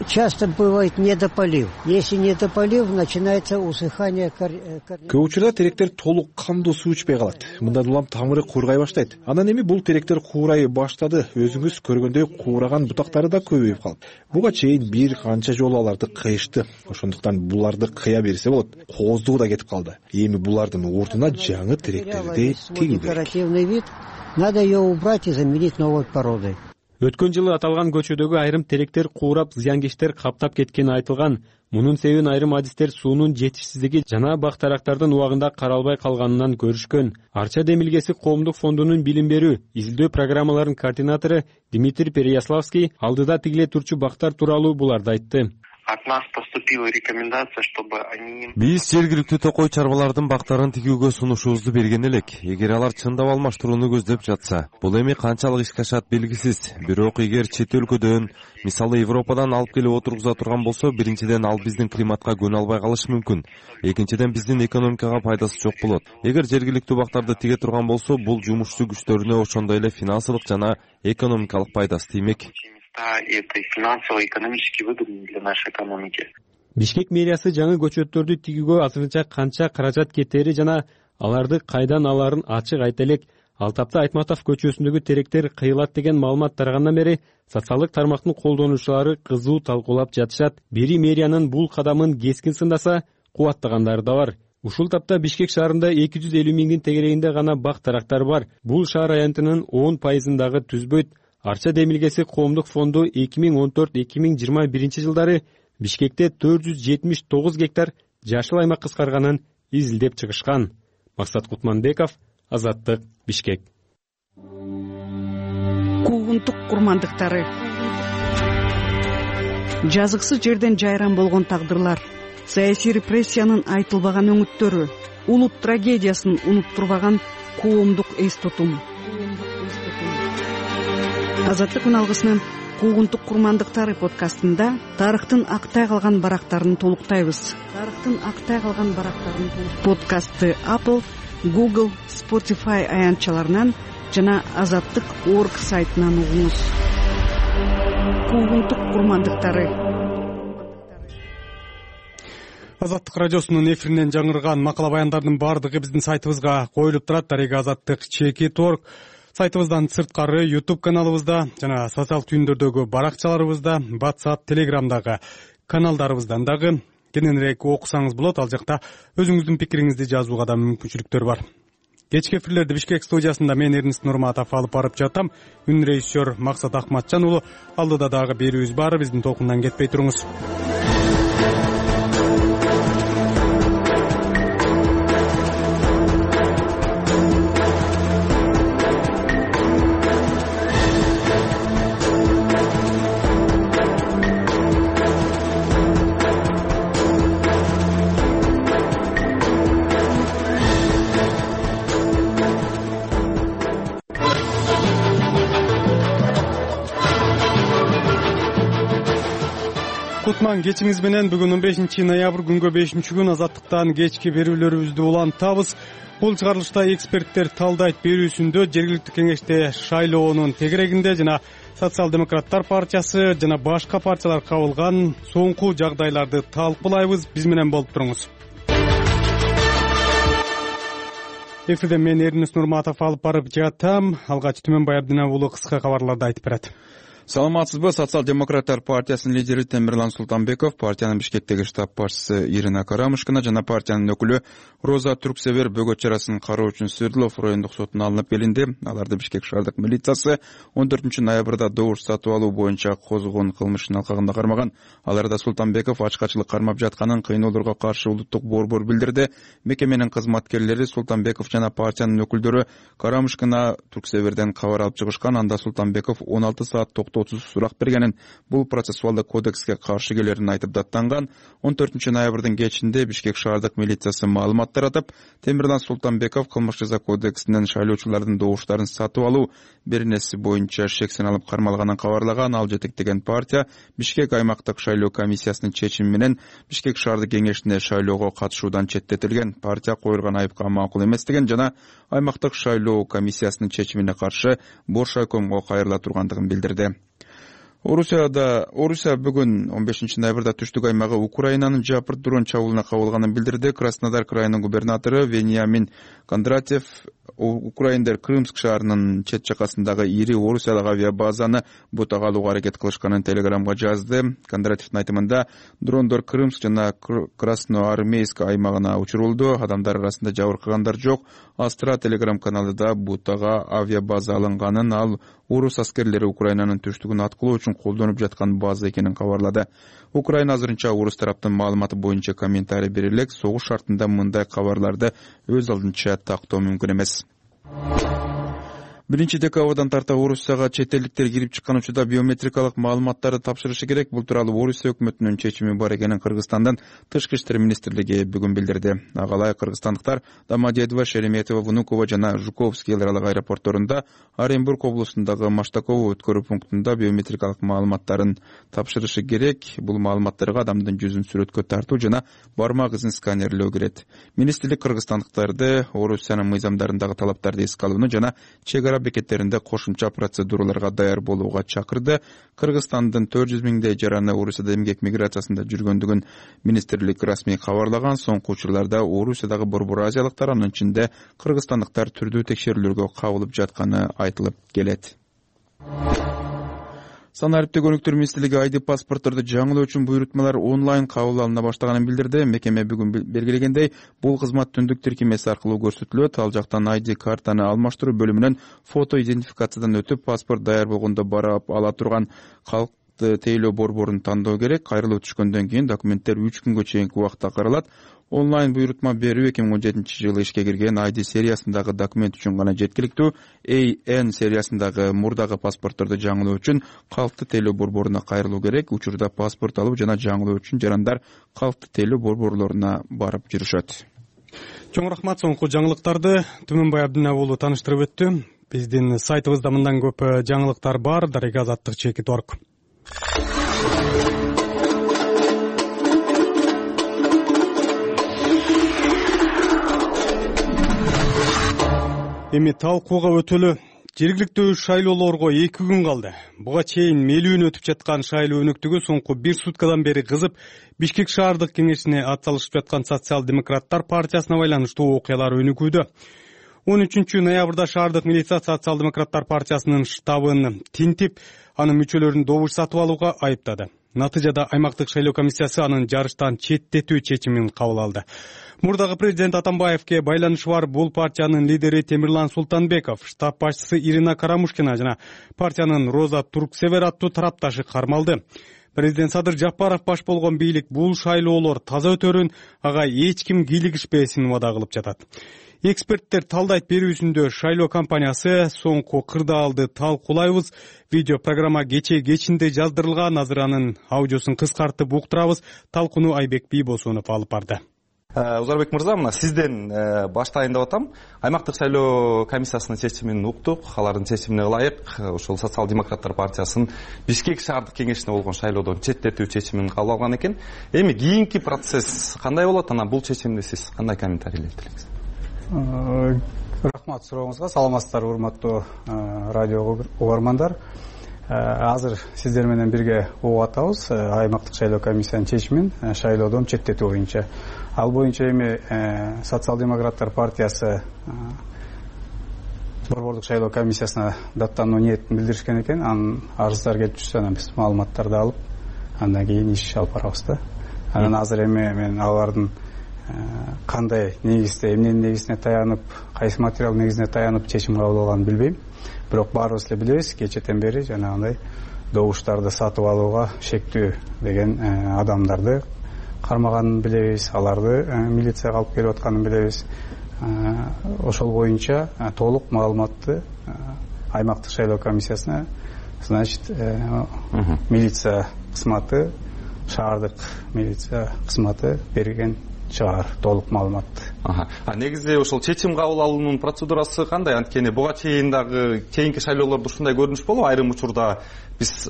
Часто бывает недополив. Если недополив, начинается усыхание корней. Көп учурда теректер толук кандуу суу ичпей калат. Мындан улам тамыры куургай баштайт. Анан эми бул теректер куурай баштады. Өзүңүз көргөндөй куураган бутактары да көбөйүп калат. Буга чейин бир канча жолу аларды кыйышты. Ошондуктан буларды кыя берсе болот. Кооздугу да кетип калды. Эми булардын ордуна жаңы теректерди тигүү керек. Декоративный вид. Надо ее убрать и заменить новой породой. Өткөн жылы аталган көчөдөгү айрым теректер куурап, зыяnkечтер каптап кеткени айтылган. Мунун себебин айрым адистер суунун жетишсиздиги жана бактарактардын убагында каралбай калганынан көрүшкөн. Арча Демилгеси коомдук фондунун билим берүү, изилдөө программаларынын координатору Дмитрий Переяславский алдыда тигиле турчу бактар тууралуу буларды айтты. От нас поступила рекомендация, чтобы они... Биз жергиликтүү токой чарбалардын бактарын тигүүгө сунушубузду берген элек. Эгер алар чындап алмаштырууну көздөп жатса, бул эми канчалык ишке ашат белгисиз. Бирок эгер чет өлкөдөн, мисалы Европадан алып келип отургуза турган болсо, биринчиден ал биздин климатка көнө албай калышы мүмкүн. Экинчиден биздин экономикага пайдасы жок болот. Эгер жергиликтүү бактарды тиге турган болсо, бул жумушчу күчтөрүнө ошондой эле финансылык жана экономикалык пайдасы тиймек. Это финансово-экономический выгодный для нашей экономики. Бишкек мэриясы жаңы көчөттөрдү тигүүгө азырынча канча каражат кетери жана аларды кайдан аларын ачык айта элек. Ал тапта Айтматов көчөсүндөгү теректер кыйылат деген маалымат тарагандан бери социалдык тармактын колдонуучулары кызуу талкуулап жатышат. Бири мэриянын бул кадамын кескин сындаса, кубаттагандары да бар. Ушул тапта Бишкек шаарында эки жүз элүү миңдин тегерегинде гана бак-тарактар бар. Бул шаар аянтынын он пайызын дагы түзбөйт. Арча Демилгеси коомдук фонду эки миң он төрт эки миң жыйырма биринчи жылдары Бишкекте төрт жүз жетимиш тогуз гектар жашыл аймак кыскарганын изилдеп чыгышкан. Максат Кутманбеков, Азаттык, Бишкек. Куугунтук курмандыктары. Жазыксыз жерден жайран болгон тагдырлар, саясий репрессиянын айтылбаган өңүттөрү, улут трагедиясын унуттурбаган коомдук эс тутум. Азаттык үналгысынын Куугунтук курмандыктары подкастында тарыхтын актай калган барактарын толуктайбыз. Тарыхтын актай калган барактарын подкастты Apple, Google, Spotify аянтчаларынан жана азаттык точка орг сайтынан угуңуз. Куугунтук курмандыктары. Азаттык радиосунун эфиринен жаңырган макала баяндардын баардыгы биздин сайтыбызга коюлуп турат. Дареги азаттык чеки точка орг сайтыбыздан сырткары YouTube каналыбызда жана социалдык түйүндөрдөгү баракчаларыбызда, WhatsApp, Telegramдагы каналдарыбыздан дагы кененирээк окусаңыз болот. Ал жакта өзүңүздүн пикириңизди жазууга да мүмкүнчүлүктөр бар. Кечки эфирлерди Бишкек студиясында мен Эрнест Нурматов алып барып жатам. Үн режиссер Максат Акматжан уулу. Алдыда дагы берүүбүз бар. Биздин толкундан кетпей туруңуз. кутман кечиңиз менен. Бүгүн он бешинчи ноябрь күнгө бешинчи күн азаттыктан кечки берүүлөрүбүздү улантабыз. Бул чыгарылышта эксперттер талдайт берүүсүндө жергиликтүү кеңеште шайлоонун тегерегинде жана социал-демократтар партиясы жана башка партиялар кабылган соңку жагдайларды талкуулайбыз. Биз менен болуп туруңуз. Эфирде мен Эрнис Нурматов алып барып жатам. Алгач Түмөнбай Абдинов уулу кыска кабарларды айтып берет. Саламатсызбы? Социал-демократтар партиясынын лидери Темирлан Султанбеков, партиянын Бишкектеги штаб башчысы Ирина Карамушкина жана партиянын өкүлү Роза Турксевер бөгөт чарасын кароо үчүн Свердлов райондук сотуна алынып келинди. Аларды Бишкек шаардык милициясы он төртүнчү ноябрда добуш сатып алуу боюнча козгогон кылмыштын алкагында кармаган. Аларда Султанбеков ачкачылык кармап жатканын, кыйноолорго каршы улуттук борбор билдирди. Мекеменин кызматкерлери Султанбеков жана партиянын өкүлдөрү Карамушкина Турксеверден кабар алып чыгышкан. Анда Султанбеков он алты саат токтоосуз сурак бергенин, бул процессуалдык кодекске каршы келерин айтып даттанган. он төртүнчү ноябрдын кечинде Бишкек шаардык милициясы маалымат таратып, Темирлан Султанбеков кылмыш жаза кодексинен шайлоочулардын добуштарын сатып алуу беренеси боюнча шексин алып кармалганын кабарлаган. Ал жетектеген партия Бишкек аймактык шайлоо комиссиясынын чечими менен Бишкек шаардык кеңешине шайлоого катышуудан четтетилген. Партия коюлган айыпка макул эместигин жана аймактык шайлоо комиссиясынын чечимине каршы бош айкомго кайрыла тургандыгын билдирди. Орусияда Орусия бүгүн он бешинчи ноябрда түштүк аймагы Украинанын жапырт дрон чабуулуна кабылганын билдирди. Краснодар крайынын губернатору Вениамин Кондратьев Украиндер Крымск шаарынын чет жакасындагы ири Орусиялык авиабазаны бутага алууга аракет кылышканын телеграмга жазды. Кондратьевдин айтымында дрондор Крымск жана Красноармейск аймагына учурулду. Адамдар арасында жабыркагандар жок. Астра телеграм каналында бутага авиабаза алынганын, ал орус аскерлери Украинанын түштүгүн аткылоо үчүн колдонуп жаткан база экенин кабарлады. Украина азырынча орус тараптын маалыматы боюнча комментарий бере элек. Согуш шартында мындай кабарларды өз алдынча тактоо мүмкүн эмес. Биринчи декабрдан тарта Орусияга чет элдиктер кирип чыккан учурда биометрикалык маалыматтарды тапшырышы керек. Бул тууралуу Орусия өкмөтүнүн чечими бар экенин Кыргызстандын тышкы иштер министрлиги бүгүн билдирди. Агалай кыргызстандыктар Домодедово, Шереметьево, Внуково жана Жуковский эл аралык аэропортторунда, Оренбург облусундагы Маштаково өткөрүү пунктунда биометрикалык маалыматтарын тапшырышы керек. Бул маалыматтарга адамдын жүзүн сүрөткө тартуу жана бармак изин сканерлөө кирет. Министрлик кыргызстандыктарды Орусиянын мыйзамдарындагы талаптарды эске алууну жана чек бекеттеринде кошумча процедураларга даяр болууга чакырды. Кыргызстандын төрт жүз миңдей жараны Орусияда эмгек миграциясында жүргөндүгүн министрлик расмий кабарлаган. Соңку учурларда Орусиядагы борбор азиялыктар, анын ичинде кыргызстандыктар түрдүү текшерүүлөргө кабылып жатканы айтылып келет. Санариптик өнүктүрүү министрлиги айди паспортторду жаңылоо үчүн буйрутмалар онлайн кабыл алына баштаганын билдирди. Мекеме бүгүн белгилегендей, бул кызмат түндүк тиркемеси аркылуу көрсөтүлөт. Ал жактан айди картаны алмаштыруу бөлүмүнөн фото идентификациядан өтүп, паспорт даяр болгондо барып ала турган калкты тейлөө борборун тандоо керек. Кайрылуу түшкөндөн кийин документтер үч күнгө чейинки убакытта каралат. Онлайн буйрутма берүү эки миң он жетинчи жылы ишке кирген айди сериясындагы документ үчүн гана жеткиликтүү. эй эн сериясындагы мурдагы паспортторду жаңылоо үчүн калкты тейлөө борборуна кайрылуу керек. Учурда паспорт алуу жана жаңылоо үчүн жарандар калкты тейлөө борборлоруна барып жүрүшөт. Чоң рахмат. Соңку жаңылыктарды Түмөнбай Абдинов уулу тааныштырып өттү. Биздин сайтыбызда мындан көп жаңылыктар бар. Дарега азаттык чекит орг. Эми талкууга өтөлү. Жергиликтүү шайлоолорго эки күн калды. Буга чейин мелүүн өтүп жаткан шайлоо өнүктүгү соңку бир суткадан бери кызып, Бишкек шаардык кеңешине атсалышып жаткан социал-демократтар партиясына байланыштуу окуялар өнүгүүдө. он үчүнчү ноябрда шаардык милиция социал-демократтар партиясынын штабын тинтип, анын мүчөлөрүн добуш сатып алууга айыптады. Натыйжада аймактык шайлоо комиссиясы анын жарыштан четтетүү чечимин кабыл алды. Мурдагы президент Атамбаевке байланышы бар бул партиянын лидери Темирлан Султанбеков, штаб башчысы Ирина Карамушкина жана партиянын Роза Турксевер аттуу тарапташы кармалды. Президент Садыр Жапаров баш болгон бийлик бул шайлоолор таза өтөрүн, ага эч ким кийлигишпесин убада кылып жатат. Эксперттер талдайт берүүсүндө шайлоо компаниясы соңку кырдаалды талкуулайбыз. Видео программа кече кечинде жаздырылган. Азыр анын аудиосун кыскартып уктурабыз. Талкууну Айбек Бийбосунов алып барды. Узарбек мырза, мына сизден баштайын деп атам. Аймактык шайлоо комиссиясынын чечимин уктук, алардын чечимине ылайык ошол Социал демократтар партиясынын Бишкек шаардык кеңешине болгон шайлоодон четтетүү чечимин кабыл алган экен. Эми кийинки процесс кандай болот? Анан бул чечимди сиз кандай комментарийлеп элеңиз? Рахмат сурооңузга. Саламатсыздарбы, урматтуу радио угармандар. Азыр сиздер менен бирге угуп атабыз аймактык шайлоо комиссиянын чечимин шайлоодон четтетүү боюнча. Ал боюнча эми Социал демократтар партиясы борбордук шайлоо комиссиясына даттануу ниетин билдиришкен экен. Анын арыздар келип түшсө, анан биз маалыматтарды алып, андан кийин иш алып барабыз да. Анан азыр эми мен алардын кандай негизде, эмненин негизине таянып, кайсы материал негизине таянып чечим кабыл алганын билбейм. Бирок баарыбыз эле билебиз, кечэтен бери жанагындай добуштарды сатып алууга шектүү деген адамдарды кармаганын билебиз, аларды милицияга алып келип атканын билебиз. Ошол боюнча толук маалыматты аймактык шайлоо комиссиясына, значит, милиция кызматы, шаардык милиция кызматы берген чыгар толук маалыматты. А негизи ошол чечим кабыл алуунун процедурасы кандай? Анткени буга чейин дагы кийинки шайлоолордо ушундай көрүнүш болуп, айрым учурда биз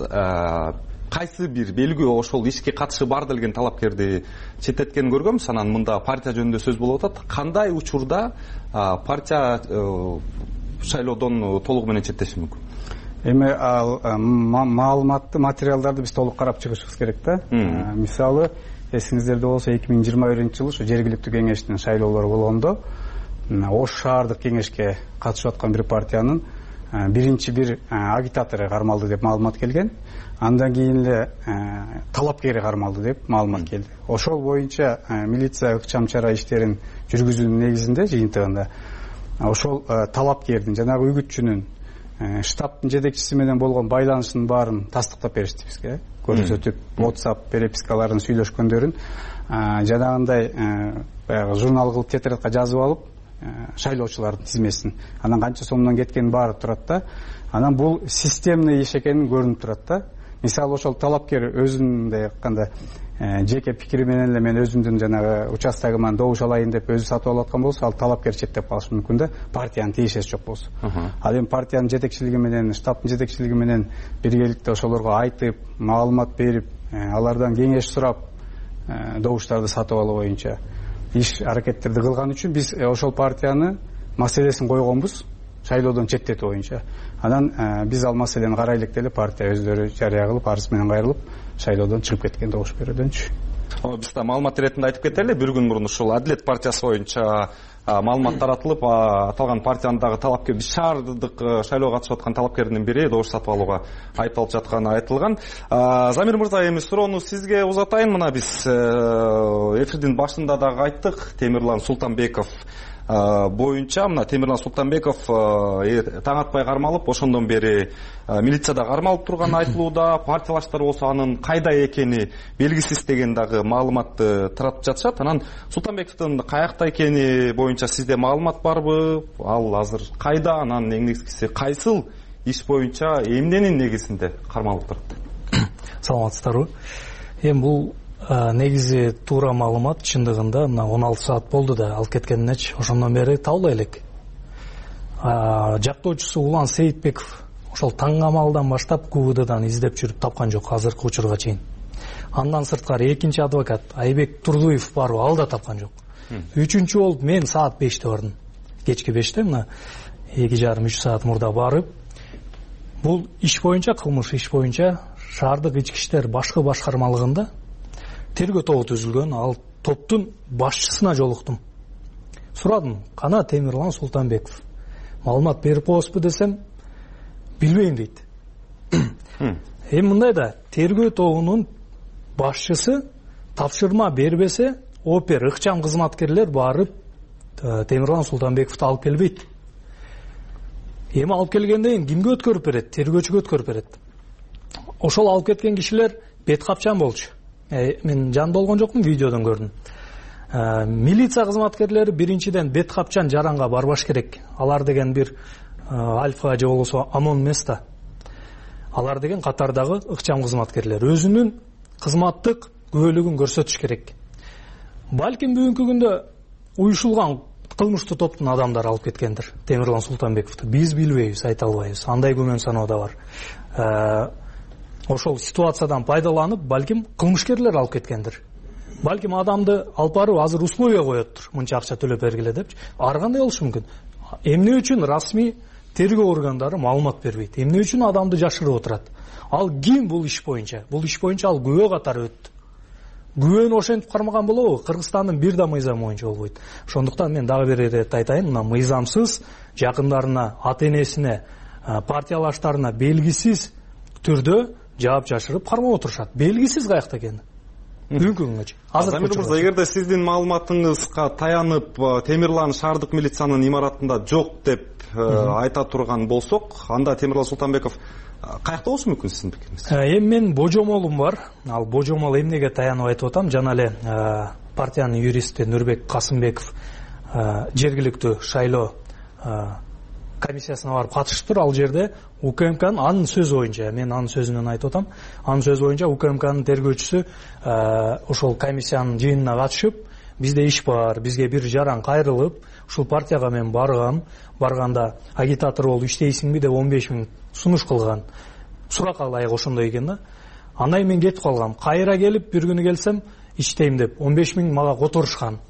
кайсы бир белгилүү ошол ишке катышы бар делген талапкерди четтеткенин көргөнбүз. Анан мында партия жөнүндө сөз болуп атат. Кандай учурда партия шайлоодон толугу менен четтеши мүмкүн? Эми ал маалыматты, материалдарды биз толук карап чыгышыбыз керек да. Мисалы, эсиңиздерде болсо эки миң жыйырма биринчи жылы ушу жергиликтүү кеңештин шайлоолору болгондо Ош шаардык кеңешке катышып аткан бир партиянын биринчи бир агитатору кармалды деп маалымат келген. Андан кийин эле талапкери кармалды деп маалымат келди. Ошол боюнча милиция ыкчам чара иштерин жүргүзүүнүн негизинде жыйынтыгында ошол талапкердин, жанагы үгүтчүнүн, штабтын жетекчиси менен болгон байланышынын баарын тастыктап беришти бизге. Көрсөтүп, WhatsApp перепискаларын сүйлөшкөндөрүн жанагындай баягы журнал кылып тетрадка жазып алып, шайлоочулардын тизмесин, анан канча сомдон кеткени баары турат да. Анан бул системный иш экени көрүнүп турат да. Мисалы, ошол талапкер өзүндөй айтканда жеке пикири менен эле мен өзүмдүн жанагы участогуман добуш алайын деп өзү сатып алып аткан болсо, ал талапкер четтеп калышы мүмкүн да, партиянын тиешеси жок болсо. Ал эми партиянын жетекчилиги менен, штабтын жетекчилиги менен биргеликте ошолорго айтып, маалымат берип, алардан кеңеш сурап, добуштарды сатып алуу боюнча иш аракеттерди кылган үчүн биз ошол партияны маселесин койгонбуз, шайлоодон четтетүү боюнча. Анан биз ал маселени карайлык деле партия өздөрү жарыя кылып, арыз менен кайрылып, шайлоодон чыгып кеткен добуш берүүдөнчү. Биз да маалымат иретинде айтып кетели, бир күн мурун ушул Адилет партиясы боюнча маалымат таратылып, аталган партиянын дагы талапкер, биз шаардык шайлоого катышып аткан талапкердин бири добуш сатып алууга айыпталып жатканы айтылган. Замир мырза, эми суроону сизге узатайын. Мына биз эфирдин башында дагы айттык, Темирлан Султанбеков боюнча, мына Темирлан Султанбеков таң атпай кармалып, ошондон бери милицияда кармалып турганы айтылууда, партиялаштар болсо анын кайда экени белгисиз деген дагы маалыматты таратып жатышат. Анан Султанбековдун каякта экени боюнча сизде маалымат барбы? Ал азыр кайда? Анан эң негизгиси кайсыл иш боюнча эмненин негизинде кармалып турат? Саламатсыздарбы? Эми бул негизи туура маалымат, чындыгында мына он алты саат болду да алып кеткенинечи, ошондон бери табылбай элек. Жактоочусу Улан Сейитбеков ошол таң камалдан баштап КУВДдан издеп жүрүп тапкан жок азыркы учурга чейин. Андан сырткары экинчи адвокат Айбек Турдуев барбы, ал да тапкан жок. Үчүнчү болуп мен саат беште бардым. Кечки беште, мына эки жарым үч саат мурда барып, бул иш боюнча, кылмыш иш боюнча шаардык ички иштер башкы башкармалыгында тергөө тобу түзүлгөн. Ал топтун башчысына жолуктум. Сурадым, кана Темирлан Султанбеков маалымат берип коесузбу десем, билбейм дейт. Эми мындай да, тергөө тобунун башчысы тапшырма бербесе, опер ыкчам кызматкерлер барып Темирлан Султанбековду алып келбейт. Эми алып келгенден кийин кимге өткөрүп берет? Тергөөчүгө өткөрүп берет. Ошол алып кеткен кишилер бет капчан болчу. Мен жанында болгон жокмун, видеодон көрдүм. Милиция кызматкерлери биринчиден бет капчан жаранга барбаш керек. Алар деген бир альфа же болбосо амон эмес да. Алар деген катардагы ыкчам кызматкерлер. Өзүнүн кызматтык күбөлүгүн көрсөтүш керек. балким бүгүнкү күндө уюшулган кылмыштуу топтун адамдары алып кеткендир Темирлан Султанбековду. Биз билбейбиз, айта албайбыз. Андай күмөн саноо да бар. Ошол ситуациядан пайдаланып, балким кылмышкерлер алып кеткендир. Балким адамды алып барып азыр условия коёттур. Мынча акча төлөп бергиле депчи. Ар кандай болушу мүмкүн? Эмне үчүн расмий тергөө органдары маалымат бербейт? Эмне үчүн адамды жашырып отурат? Ал ким бул иш боюнча? Бул иш боюнча ал күбө катары өттү. Күбөнү ошентип кармаган болобу? Кыргызстандын бир да мыйзамы боюнча болбойт. Ошондуктан мен дагы бир ирет айтайын, мына мыйзамсыз жакындарына, ата-энесине, партиялаштарына белгисиз түрдө жаап жашырып кармап отурушат. Белгисиз каякта экени. Бүгүнкү күнгөчү. Замир мырза, эгерде сиздин маалыматыңызга таянып Темирлан шаардык милициянын имаратында жок деп айта турган болсок, анда Темирлан Султанбеков каякта болушу мүмкүн сиздин пикириңиз? Эми менин божомолум бар. Ал божомол эмнеге таянып айтып атам? Жана эле партиянын юристи Нурбек Касымбеков жергиликтүү шайлоо комиссиясына барып катышыптыр. Ал жерде УКМКнын анын сөзү боюнча, мен анын сөзүнөн айтып атам, анын сөзү боюнча УКМКнын тергөөчүсү ошол комиссиянын жыйынына катышып, бизде иш бар, бизге бир жаран кайрылып, ушул партияга мен баргам, барганда агитатор болуп иштейсиңби деп он беш миң сунуш кылган. Суракка ылайык ошондой экен да. Андан кийин мен кетип калгам. Кайра келип, бир күнү келсем, иштейм деп он беш миң мага которушкан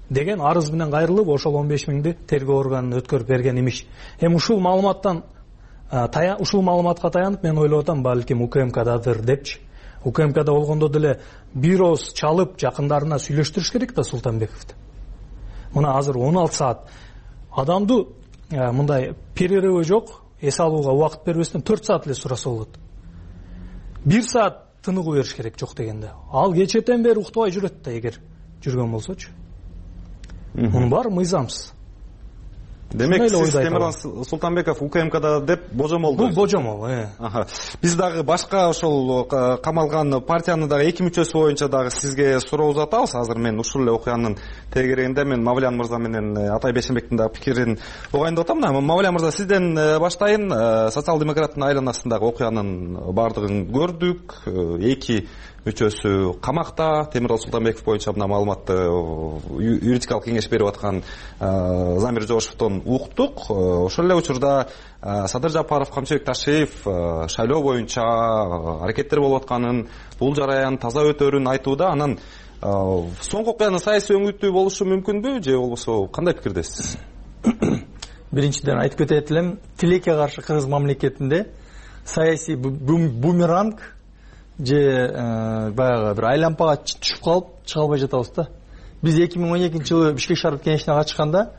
деген арыз менен кайрылып, ошол он беш миңди тергөө органына өткөрүп берген имиш. Эми ушул маалыматтан ушул маалыматка таянып мен ойлоп атам, балким УКМКдадыр депчи. УКМКда болгондо деле бир ооз чалып жакындарына сүйлөштүрүш керек да Султанбековду. Мына азыр он алты саат адамды мындай перерывы жок, эс алууга убакыт бербестен төрт саат эле сураса болот. бир саат тыныгуу бериш керек жок дегенде. Ал кечетен бери уктабай жүрөт да, эгер жүргөн болсочу. Мунун баары мыйзамсыз. Демек сиз Темирлан Султанбеков УКМКда деп божомол. Бул божомол, э. Биз дагы башка ошол камалган партиянын дагы эки мүчөсү боюнча дагы сизге суроо узатабыз. Азыр мен ушул эле окуянын тегерегинде мен Мавлян мырза менен Атай Бейшенбектин дагы пикирин угайын деп атам. Мавлян мырза, сизден баштайын. Социал-демократтын айланасындагы окуянын баардыгын көрдүк. Эки мүчөсү камакта. Темирлан Султанбеков боюнча мына маалыматты юридикалык кеңеш берип аткан Замир Жошовдон уктук. Ошол эле учурда Садыр Жапаров, Камчыбек Ташиев шайлоо боюнча аракеттер болуп атканын, бул жараян таза өтөрүн айтууда. Анан соңку окуянын саясий өңүтү болушу мүмкүнбү же болбосо кандай пикирдесиз? Биринчиден айтып кетет элем, тилекке каршы кыргыз мамлекетинде саясий бумеранг же баягы бир айлампага түшүп калып чыга албай жатабыз да. Биз эки миң он экинчи жылы Бишкек шаардык кеңешине катышканда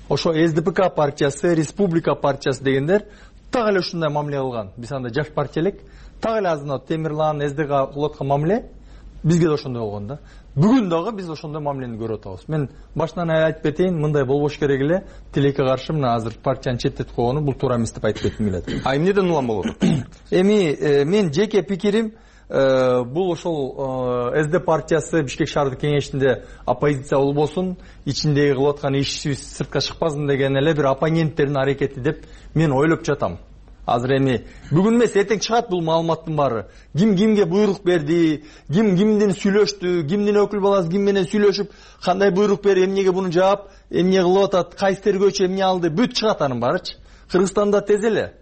ошо СДПК партиясы, Республика партиясы дегендер так эле ушундай мамиле кылган. Биз анда жаш партия элек, так эле азыр Темирлан, СДК кылып аткан мамиле бизге да ошондой болгон да. Бүгүн дагы биз ошондой мамилени көрүп атабыз. Мен башынан айтып кетейин, мындай болбош керек эле. Тилекке каршы мына азыр партияны четтетип койгону бул туура эмес деп айтып кетким келет. А эмнеден улам болот? Эми мен жеке пикирим, бул ошол СД партиясы Бишкек шаардык кеңешинде оппозиция болбосун, ичиндеги кылып аткан ишибиз сыртка чыкпасын деген эле бир оппоненттердин аракети деп мен ойлоп жатам. Азыр эми бүгүн эмес, эртең чыгат бул маалыматтын баары. Ким кимге буйрук берди, ким кимден сүйлөштү, кимдин өкүл баласы ким менен сүйлөшүп, кандай буйрук берип, эмнеге буну жаап, эмне кылып атат, кайсы тергөөчү эмне алды, бүт чыгат анын баарычы. Кыргызстанда тез эле.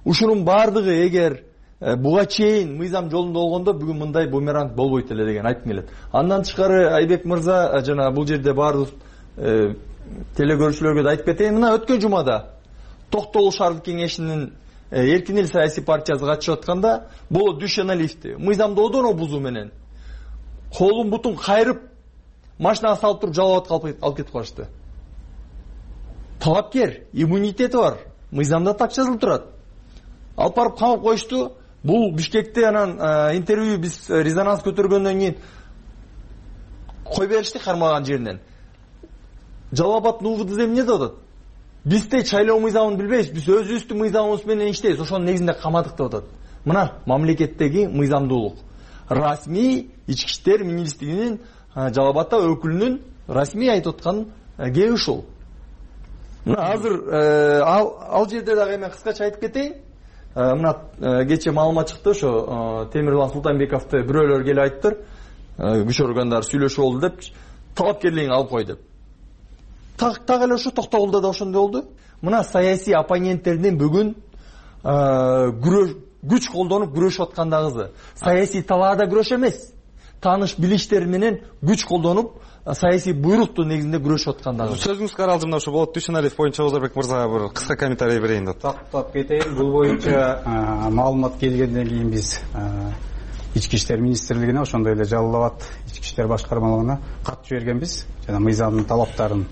Ушунун баардыгы эгер буга чейин мыйзам жолунда болгондо бүгүн мындай бумеранг болбойт эле деген айткым келет. Андан тышкары Айбек мырза жана бул жерде баардык телекөрүүчүлөргө да айтып кетейин. Мына өткөн жумада Токтогул шаардык кеңешинин Эркин эл саясий партиясы катышып атканда Боло Дүйшеналиевди мыйзамды одоно бузуу менен колун бутун кайрып машинага салып туруп жалап алып кетип калышты. Талапкер, иммунитети бар, мыйзамда так жазылып турат. Алып барып камап коюшту. Бул Бишкекте анан интервью биз резонанс көтөргөндөн кийин кой беришти кармаган жеринен. Жалал Абад УВД эмне деп атат? Бизде шайлоо мыйзамын билбейбиз, биз өзүбүздүн мыйзамыбыз менен иштейбиз, ошонун негизинде камадык деп атат. Мына мамлекеттеги мыйзамдуулук. Расмий ички иштер министрлигинин Жалал Абадта өкүлүнүн расмий айтып аткан кээ ушул. Мына азыр ал жерде дагы мен кыскача айтып кетейин. Мына кече маалымат чыкты, ошо Темирлан Султанбековду бирөөлөр келип айттыр, күч органдары сүйлөшүп болду деп. талапкерлигин алып кой деп. Так эле ошо Токтогулда да ошондой болду. Мына саясий оппоненттердин бүгүн күч колдонуп күрөшүп аткандагысы саясий талаада күрөш эмес, тааныш билиштер менен күч колдонуп саясий буйруктун негизинде күрөшүп аткандагы. Сөзүңүзгө аралжымда ошо болот Дүйшөналиев боюнча Озорбек мырза бир кыска комментарий берейин деп. Тактап кетейин. Бул боюнча маалымат келгенден кийин биз Ички иштер министрлигине, ошондой эле Жалал Абад ички иштер башкармалыгына кат жибергенбиз. Жана мыйзамдын талаптарын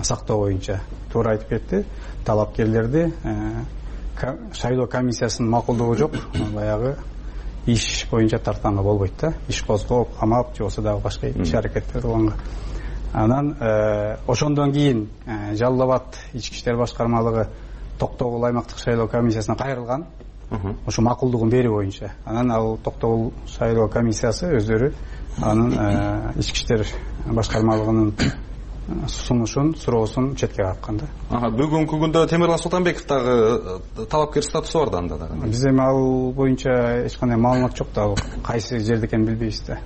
сактоо боюнча туура айтып кетти. Талапкерлерди шайлоо комиссиясынын макулдугу жок, баягы иш боюнча тартканга болбойт да. Иш козгоп, камап, же болбосо дагы башка иш аракеттер кылганга. Анан ошондон кийин Жалал Абад ички иштер башкармалыгы Токтогул аймактык шайлоо комиссиясына кайрылган. Ошо макулдугун берүү боюнча. Анан ал Токтогул шайлоо комиссиясы өздөрү анын ички иштер башкармалыгынын сунушун, суроосун четке каккан да. Бүгүнкү күндө Темирлан Султанбеков дагы талапкер статусу бар да анда дагы. Биз эми ал боюнча эч кандай маалымат жок да, кайсы жерде экенин билбейбиз да.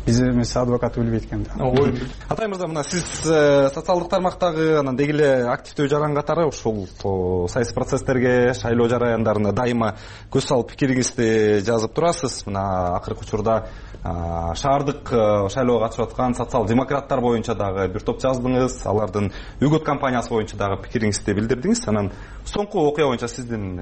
Биз эмес адвокат билбейт экен да. Атай мырза, мына сиз социалдык тармактагы анан деги эле активдүү жаран катары ушул саясий процесстерге, шайлоо жараяндарына дайыма көз салып пикириңизди жазып турасыз. Мына акыркы учурда шаардык шайлоого катышып аткан социал-демократтар боюнча дагы бир топ жаздыңыз, алардын үгөт кампаниясы боюнча дагы пикириңизди билдирдиңиз. Анан соңку окуя боюнча сиздин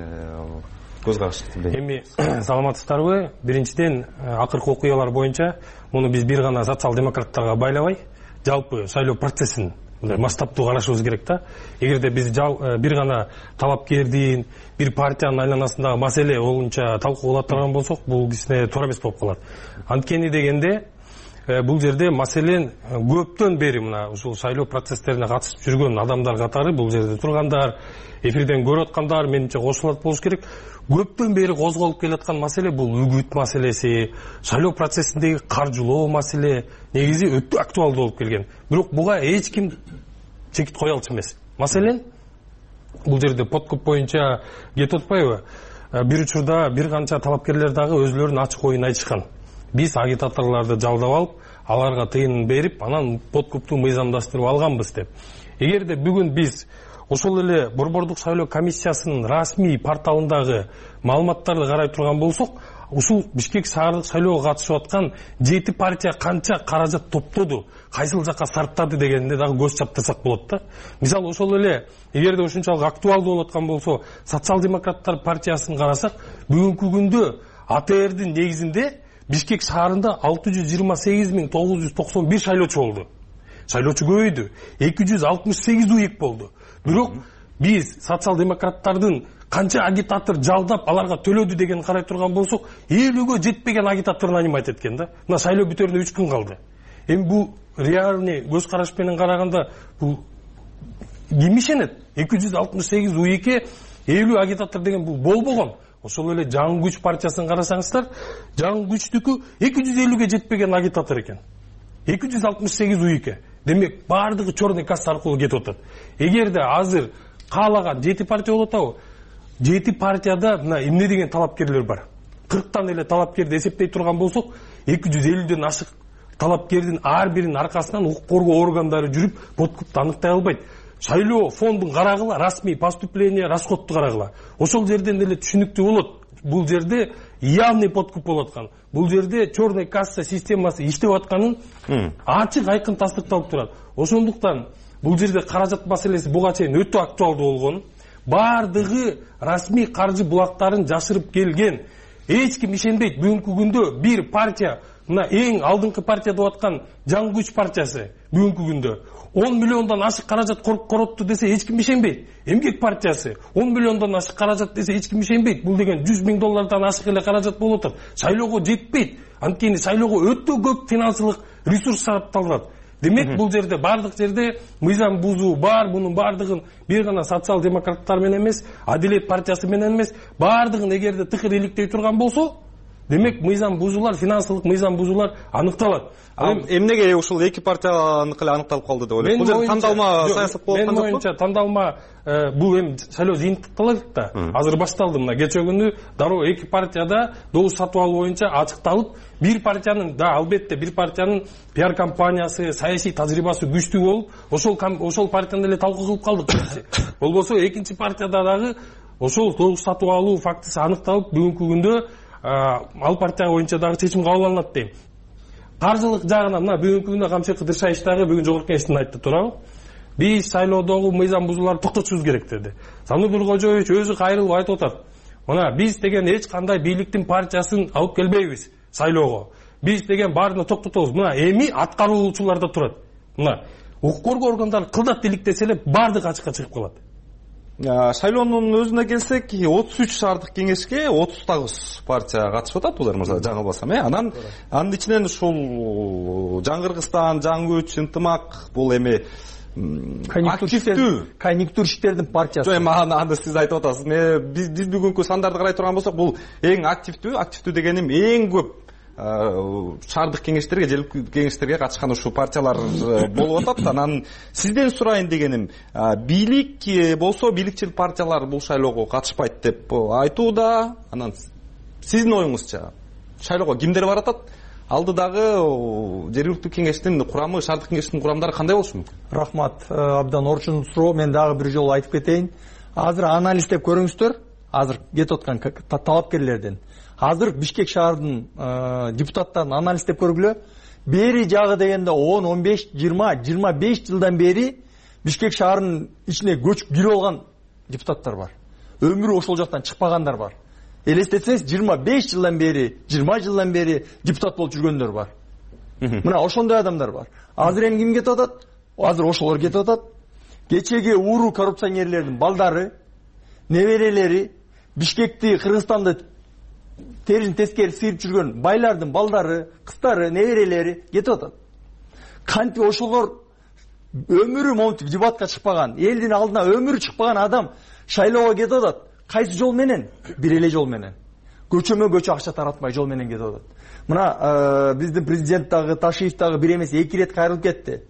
көз карашыңызды. Эми саламатсыздарбы? Биринчиден, акыркы окуялар боюнча муну биз бир гана социал-демократтарга байлабай, жалпы шайлоо процессин масштабтуу карашыбыз керек да. Эгерде биз бир гана талапкердин, бир партиянын айланасындагы маселе боюнча талкуулап турган болсок, бул кичине туура эмес болуп калат. Анткени дегенде бул жерде маселен көптөн бери мына ушул шайлоо процесстерине катышып жүргөн адамдар катары, бул жерде тургандар, эфирден көрүп аткандар менимче кошулат болуш керек. Көптөн бери козголуп келаткан маселе бул үгүт маселеси, шайлоо процессиндеги каржылоо маселе негизи өтө актуалдуу болуп келген. Бирок буга эч ким чекит кое алчу эмес. Маселен, бул жерде подкуп боюнча кетип атпайбы? Бир учурда бир канча талапкерлер дагы өзлөрүнүн ачык оюн айтышкан. Биз агитаторлорду жалдап алып, аларга тыйын берип, анан подкупту мыйзамдаштырып алганбыз деп. Эгерде бүгүн биз ошол эле борбордук шайлоо комиссиясынын расмий порталындагы маалыматтарды карай турган болсок, ушул Бишкек шаардык шайлоого катышып аткан жети партия канча каражат топтоду, кайсыл жакка сарптады дегенде дагы көз чаптырсак болот да. Мисалы ошол эле эгерде ушунчалык актуалдуу болуп аткан болсо, социал-демократтар партиясын карасак, бүгүнкү күндө А Т Р'дин негизинде Бишкек шаарында алты жүз жыйырма сегиз миң тогуз жүз токсон бир шайлоочу болду. Шайлоочу көбөйдү. эки жүз алтымыш сегиз уйык болду. Бирок биз социал-демократтардын канча агитатор жалдап аларга төлөдү деген карай турган болсок, элүүгө жетпеген агитаторун анимать эткен да. Мына шайлоо бүтөрүнө үч күн калды. Эми бул реальный көз караш менен караганда бул ким ишенет? эки жүз алтымыш сегиз уйыкке элүү агитатор деген бул болбогон. Ошол эле Жаңы күч партиясын карасаңыздар, Жаңы күчтүкү эки жүз элүүгө жетпеген агитатор экен. эки жүз алтымыш сегиз уйыкке. Демек, бардыгы чорный касса аркылуу кетип атат. Эгерде азыр каалаган жети партия болуп атабы? жети партияда мына эмне деген талапкерлер бар. кырктан эле талапкерди эсептей турган болсок, эки жүз элүүдөн ашык талапкердин ар биринин аркасынан укук коргоо органдары жүрүп, подкупты аныктай албайт. Шайлоо фондун карагыла, расмий поступление, расходду карагыла. Ошол жерден деле түшүнүктүү болот. Бул жерде явный подкуп болуп аткан. Бул жерде черный касса системасы иштеп атканын ачык айкын тастыкталып турат. Ошондуктан бул жерде каражат маселеси буга чейин өтө актуалдуу болгон. Бардыгы расмий каржы булактарын жашырып келген. Эч ким ишенбейт. Бүгүнкү күндө бир партия, мына эң алдыңкы партия деп аткан Жаңы күч партиясы бүгүнкү күндө он миллиондон ашык каражат коротту десе эч ким ишенбейт. Эмгек партиясы он миллиондон ашык каражат десе эч ким ишенбейт. Бул деген жүз миң доллардан ашык эле каражат болуп атат. Шайлоого жетпейт. Анткени шайлоого өтө көп финансылык ресурс сарпталат. Демек, бул жерде бардык жерде мыйзам бузуу бар. Мунун бардыгын бир гана социал-демократтар менен эмес, Адилет партиясы менен эмес, бардыгын эгерде тыкыр иликтей турган болсо, демек мыйзам бузуулар, финансылык мыйзам бузуулар аныкталат. Эмнеге ушул эки партияныкы эле аныкталып калды деп ойлойсуз? Бул жерде тандалма саясат болуп аткан жокпу? Менин оюмча тандалма бул эми шайлоо жыйынтыкталат да. Азыр башталды. Мына кече күнү дароо эки партияда добуш сатып алуу боюнча ачыкталып, бир партиянын да албетте бир партиянын пиар компаниясы, саясий тажрыйбасы күчтүү болуп, ошол ошол партияны эле талкуу кылып калдык. Болбосо экинчи партияда дагы ошол добуш сатып алуу фактысы аныкталып, бүгүнкү күндө ал партия боюнча дагы чечим кабыл алынат дейм. Каржылык жагынан мына бүгүнкү күндө Камчы Кыдыршаевич дагы бүгүн жогорку кеңештин айтты туурабы? Биз шайлоодогу мыйзам бузууларды токтотушубуз керек деди. Сану Нуркожоевич өзү кайрылып айтып атат. Мына биз деген эч кандай бийликтин партиясын алып келбейбиз шайлоого. Биз деген баарын токтотобуз. Мына эми аткаруучуларда турат. Мына укук коргоо органдары кылдат иликтесе эле баардыгы ачыкка чыгып калат. Шайлоонун өзүнө келсек, отуз үч шаардык кеңешке отуз тогуз партия катышып атат, улар мырза, жаңылбасам, э? Анан анын ичинен ушул Жаңы Кыргызстан, Жаңы Күч, Ынтымак, бул эми активдүү конъюнктурщиктердин партиясы. Эми аны сиз айтып атасыз. Биз биз бүгүнкү сандарды карай турган болсок, бул эң активдүү, активдүү дегеним эң көп шаардык кеңештерге, жергиликтүү кеңештерге катышкан ушул партиялар болуп атат. Анан сизден сурайын дегеним, бийлик болсо, бийликчил партиялар бул шайлоого катышпайт деп айтууда. Анан сиздин оюңузча шайлоого кимдер баратат? Алдыдагы жергиликтүү кеңештин курамы, шаардык кеңештин курамдары кандай болушу мүмкүн? Рахмат, абдан орчун суроо. Мен дагы бир жолу айтып кетейин. Азыр анализдеп көрүңүздөр. Азыр кетип аткан талапкерлерден. Азыр Бишкек шаарынын депутаттарын анализдеп көргүлө. Бери жагы дегенде он, он беш, жыйырма, жыйырма беш жылдан бери Бишкек шаарынын ичине көчүп кирип алган депутаттар бар. Өмүрү ошол жактан чыкпагандар бар. Элестетсеңиз, жыйырма беш жылдан бери, жыйырма жылдан бери депутат болуп жүргөндөр бар. Мына ошондой адамдар бар. Азыр эми ким кетип атат? Азыр ошолор кетип атат. Кечеги ууру коррупционерлердин балдары, неберелери, Бишкекти, Кыргызстанды терин тескери сыйып жүргөн байлардын балдары, кыздары, неберелери кетип атат. Кантип ошолор өмүрү монтип дебатка чыкпаган, элдин алдына өмүрү чыкпаган адам шайлоого кетип атат. Кайсы жол менен? Бир эле жол менен. Көчөмө көчө акча таратмай жол менен кетип атат. Мына биздин президент дагы, Ташиев дагы бир эмес эки ирет кайрылып кетти.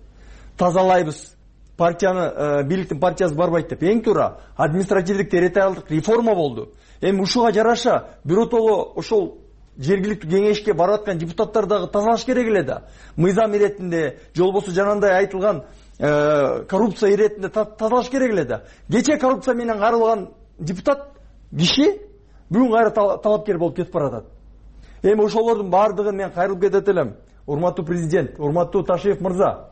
Тазалайбыз. Партияны, бийликтин партиясы барбайт деп. Эң туура административдик территориалдык реформа болду. Эми ушуга жараша биротоло ошол жергиликтүү кеңешке барып аткан депутаттар дагы тазалаш керек эле да. Мыйзам иретинде, жолбосу жанагындай айтылган коррупция иретинде тазалаш керек эле да. Кече коррупция менен каралган депутат киши бүгүн кайра талапкер болуп кетип баратат. Эми ошолордун баардыгын мен кайрылып кетет элем. Урматтуу президент, урматтуу Ташиев мырза.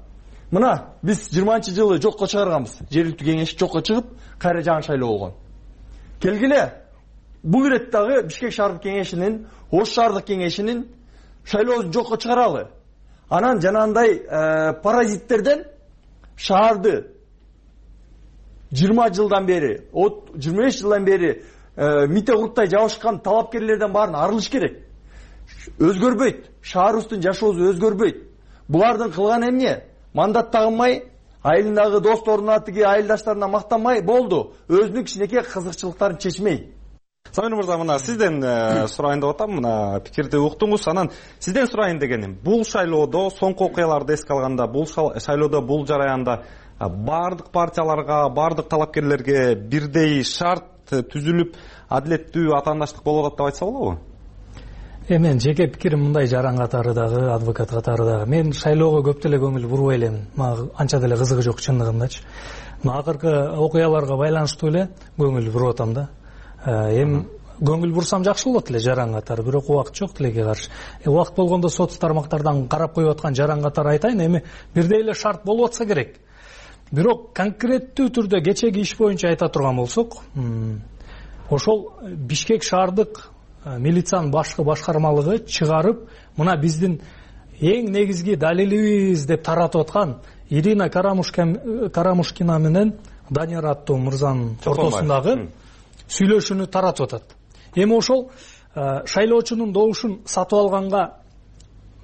Мына биз жыйырманчы жылы жокко чыгарганбыз. Жергиликтүү кеңеш жокко чыгып, кайра жаңы шайлоо болгон. Келгиле, бул ирет дагы Бишкек шаардык кеңешинин, Ош шаардык кеңешинин шайлоосун жокко чыгаралы. Анан жанагындай паразиттерден шаарды жыйырма жылдан бери, жыйырма беш жылдан бери мите курттай жабышкан талапкерлерден баарын арылыш керек. Өзгөрбөйт. Шаарыбыздын жашоосу өзгөрбөйт. Булардын кылган эмне? Мандат тагынмай, айылындагы досторуна, тиги айылдаштарына мактанмай болду. Өзүнүн кичинекей кызыкчылыктарын чечмей. Самир мырза, мына сизден сурайын деп атам, мына пикирди уктуңуз. Анан сизден сурайын дегеним, бул шайлоодо соңку окуяларды эске алганда, бул шайлоодо, бул жараянда бардык партияларга, бардык талапкерлерге бирдей шарт түзүлүп, адилеттүү атаандаштык болуп атат деп айтса болобу? Эми мен жеке пикирим мындай, жаран катары дагы, адвокат катары дагы. Мен шайлоого көп деле көңүл бурбай элем. Мага анча деле кызыгы жок чындыгындачы. Мына акыркы окуяларга байланыштуу эле көңүл буруп атам да. Эми көңүл бурсам жакшы болот эле жаран катары, бирок убакыт жок тилекке каршы. Убакыт болгондо соц тармактардан карап коюп аткан жаран катары айтайын, эми бирдей эле шарт болуп атса керек. Бирок конкреттүү түрдө кечеги иш боюнча айта турган болсок, ошол Бишкек шаардык милициянын башкы башкармалыгы чыгарып, мына биздин эң негизги далилибиз деп таратып аткан Ирина Карамушкина менен Данияр аттуу мырзанын ортосундагы сүйлөшүүнү таратып атат. Эми ошол шайлоочунун добушун сатып алганга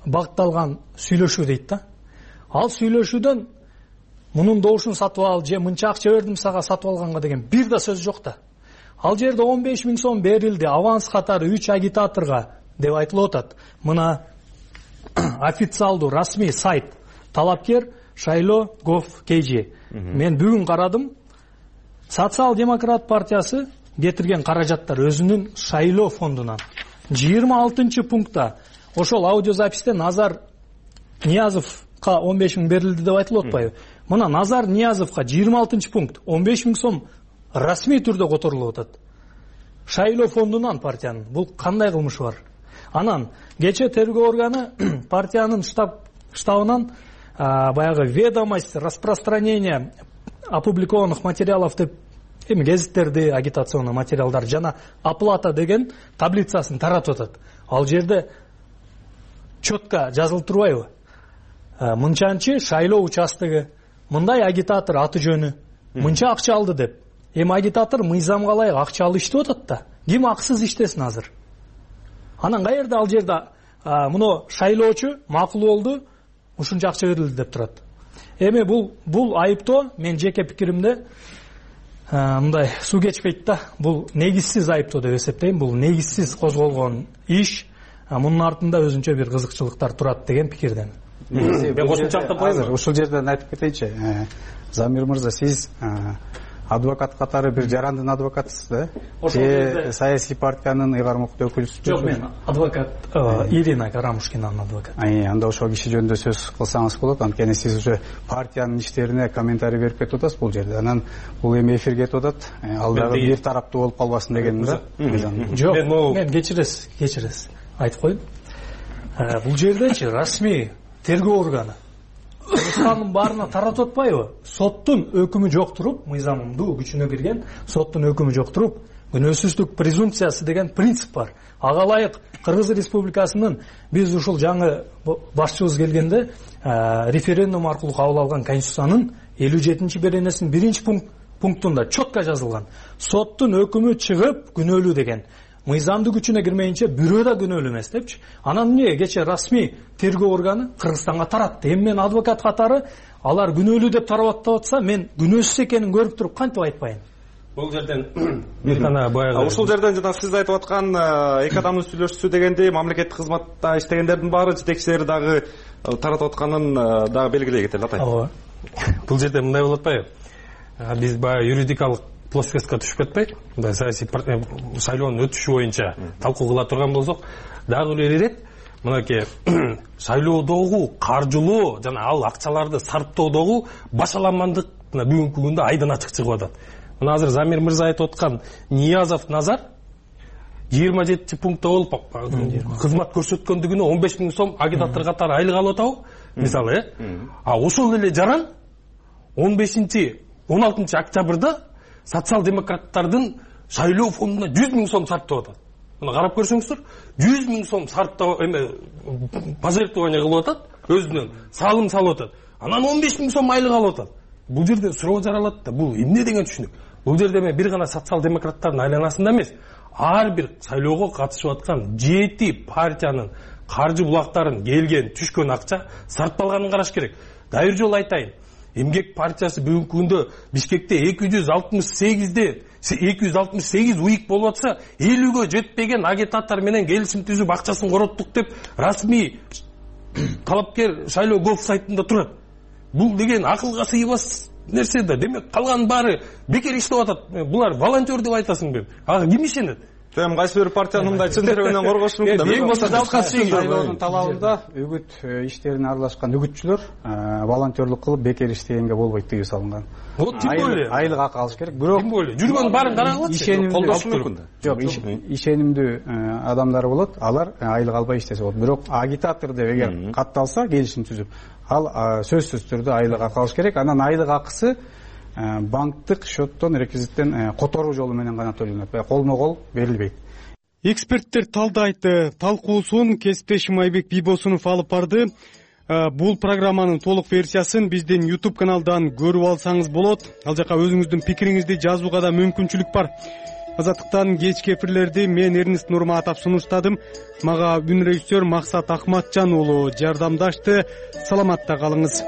багытталган сүйлөшүү дейт да. Ал сүйлөшүүдөн мунун добушун сатып ал же мынча акча бердим сага сатып алганга деген бир да сөз жок да. Ал жерде он беш миң сом берилди, аванс катары үч агитаторго деп айтылып атат. Мына официалдуу расмий сайт талапкер шайлоо gov kg. Мен бүгүн карадым. Социал-демократ партиясы кетирген каражаттар өзүнүн шайлоо фондунан жыйырма алтынчы пунктта ошол аудиозаписте Назар Ниязовго он беш миң берилди деп айтылып атпайбы? Мына Назар Ниязовго жыйырма алтынчы пункт он беш миң сом расмий түрдө которулуп атат. Шайлоо фондунан партиянын. Бул кандай кылмыш бар? Анан кече тергөө органы партиянын штаб штабынан баягы ведомость распространения опубликованных материалов деп эми гезиттерди, агитационный материалдар жана оплата деген таблицасын таратып атат. Ал жерде четко жазылып турбайбы? Мынчанчы шайлоо участогу, мындай агитатор аты жөнү, мынча акча алды деп. Эми агитатор мыйзамга ылайык акча алып иштеп атат да. Ким аксыз иштесин азыр? Анан каерде ал жерде муну шайлоочу макул болду, ушунча акча берилди деп турат. Эми бул бул айыптоо мен жеке пикиримде мындай суу кечпейт да. Бул негизсиз айыптоо деп эсептейм. Бул негизсиз козголгон иш. Мунун артында өзүнчө бир кызыкчылыктар турат деген пикирден. Мен кошумча айтып ушул жерден айтып кетейинчи. Замир мырза, сиз адвокат катары бир жарандын адвокатысыз да? Же саясий партиянын ыйгармактуу өкүлүсүз? Жок, мен адвокат Ирина Карамушкинанын адвокаты. Анда ошол киши жөнүндө сөз кылсаңыз болот. Анткени сиз уже партиянын иштерине комментарий берип кетип атасыз бул жерде. Анан бул эми эфирге кетип атат. Ал дагы бир тараптуу болуп калбасын дегеним да. Жок, мен кечиресиз, кечиресиз. Айтып коеюн. Бул жердечи расмий тергөө органы Кыргызстандын баарына таратып атпайбы? Соттун өкүмү жок туруп, мыйзамдуу күчүнө кирген соттун өкүмү жок туруп, күнөөсүздүк презумпциясы деген принцип бар. Ага ылайык Кыргыз Республикасынын биз ушул жаңы башчыбыз келгенде референдум аркылуу кабыл алган Конституциянын элүү жетинчи беренесинин биринчи пунктунда четко жазылган. Соттун өкүмү чыгып күнөөлүү деген. Мыйзамдуу күчүнө кирмейинче бирөө да күнөөлүү эмес депчи. Анан эмне кече расмий тергөө органы Кыргызстанга таратты. Эми мен адвокат катары алар күнөөлүү деп тарап атса, мен күнөөсүз экенин көрүп туруп кантип айтпайын? Бул жерден бир гана баягы ушул жерден жана сиз айтып аткан эки адамдын сүйлөшүүсү дегенде мамлекеттик кызматта иштегендердин баары жетекчилери дагы таратып атканын дагы белгилей кетели атай. Ооба. Бул жерде мындай болуп атпайбы? Биз баягы юридикалык плоскостька түшүп кетпей, мындай саясий шайлоонун өтүшү боюнча талкуу кыла турган болсок, дагы бир ирет мынакей шайлоодогу каржылоо жана ал акчаларды сарптоодогу башаламандык бүгүнкү күндө айдан ачык чыгып атат. Мына азыр Замир мырза айтып аткан Ниязов Назар жыйырма жетинчи пунктта болуп кызмат көрсөткөндүгүнө он беш миң сом агитатор катары айлык алып атабы? Мисалы, э? А ошол эле жаран он бешинчи он алтынчы октябрда социал-демократтардын шайлоо фондуна жүз миң сом сарптап атат. Мына карап көрсөңүздөр, жүз миң сом сарптап эме пожертвование кылып атат, өзүнөн салым салып атат. Анан он беш миң сом айлык алып атат. Бул жерде суроо жаралат да, бул эмне деген түшүнүк? Бул жерде эме бир гана социал-демократтардын айланасында эмес, ар бир шайлоого катышып аткан жети партиянын каржы булактарын келген, түшкөн акча сарпталганын караш керек. Дагы бир жолу айтайын. Эмгек партиясы бүгүнкү күндө Бишкекте эки жүз алтымыш сегизде эки жүз алтымыш сегиз уйк болуп атса, элүүгө жетпеген агитатор менен келишим түзүп акчасын короттук деп расмий талапкер шайлоо gov сайтында турат. Бул деген акылга сыйбас нерсе да. Демек калган баары бекер иштеп атат. Булар волонтер деп айтасыңбы? Ага ким ишенет? Эми кайсы бир партиянын мындай чындыгынан коргош мүмкүн да. Эң болсо шайлоонун талабында үгүт иштерине аралашкан үгүтчүлөр волонтерлук кылып бекер иштегенге болбойт тыюу салынган. Вот тим более айлык акы алыш керек. Бирок тим более жүргөн баарын карагылачы. Колдош мүмкүн да. Жок, ишенимдүү адамдар болот, алар айлык албай иштесе болот. Бирок агитатор деп эгер катталса, келишим түзүп, ал сөзсүз түрдө айлык акы алыш керек. Анан айлык акысы банктык счеттон, реквизиттен которуу жолу менен гана төлөнөт. Колмо-кол берилбейт. Эксперттер талдайт. Талкуусун кесиптешим Айбек Бийбосунов алып барды. Бул программанын толук версиясын биздин YouTube каналдан көрүп алсаңыз болот. Ал жака өзүңүздүн пикириңизди жазууга да мүмкүнчүлүк бар. Азаттыктан кечки эфирлерди мен Эрнест Нурматов сунуштадым. Мага үн режиссер Максат Акматжан уулу жардамдашты. Саламатта калыңыз.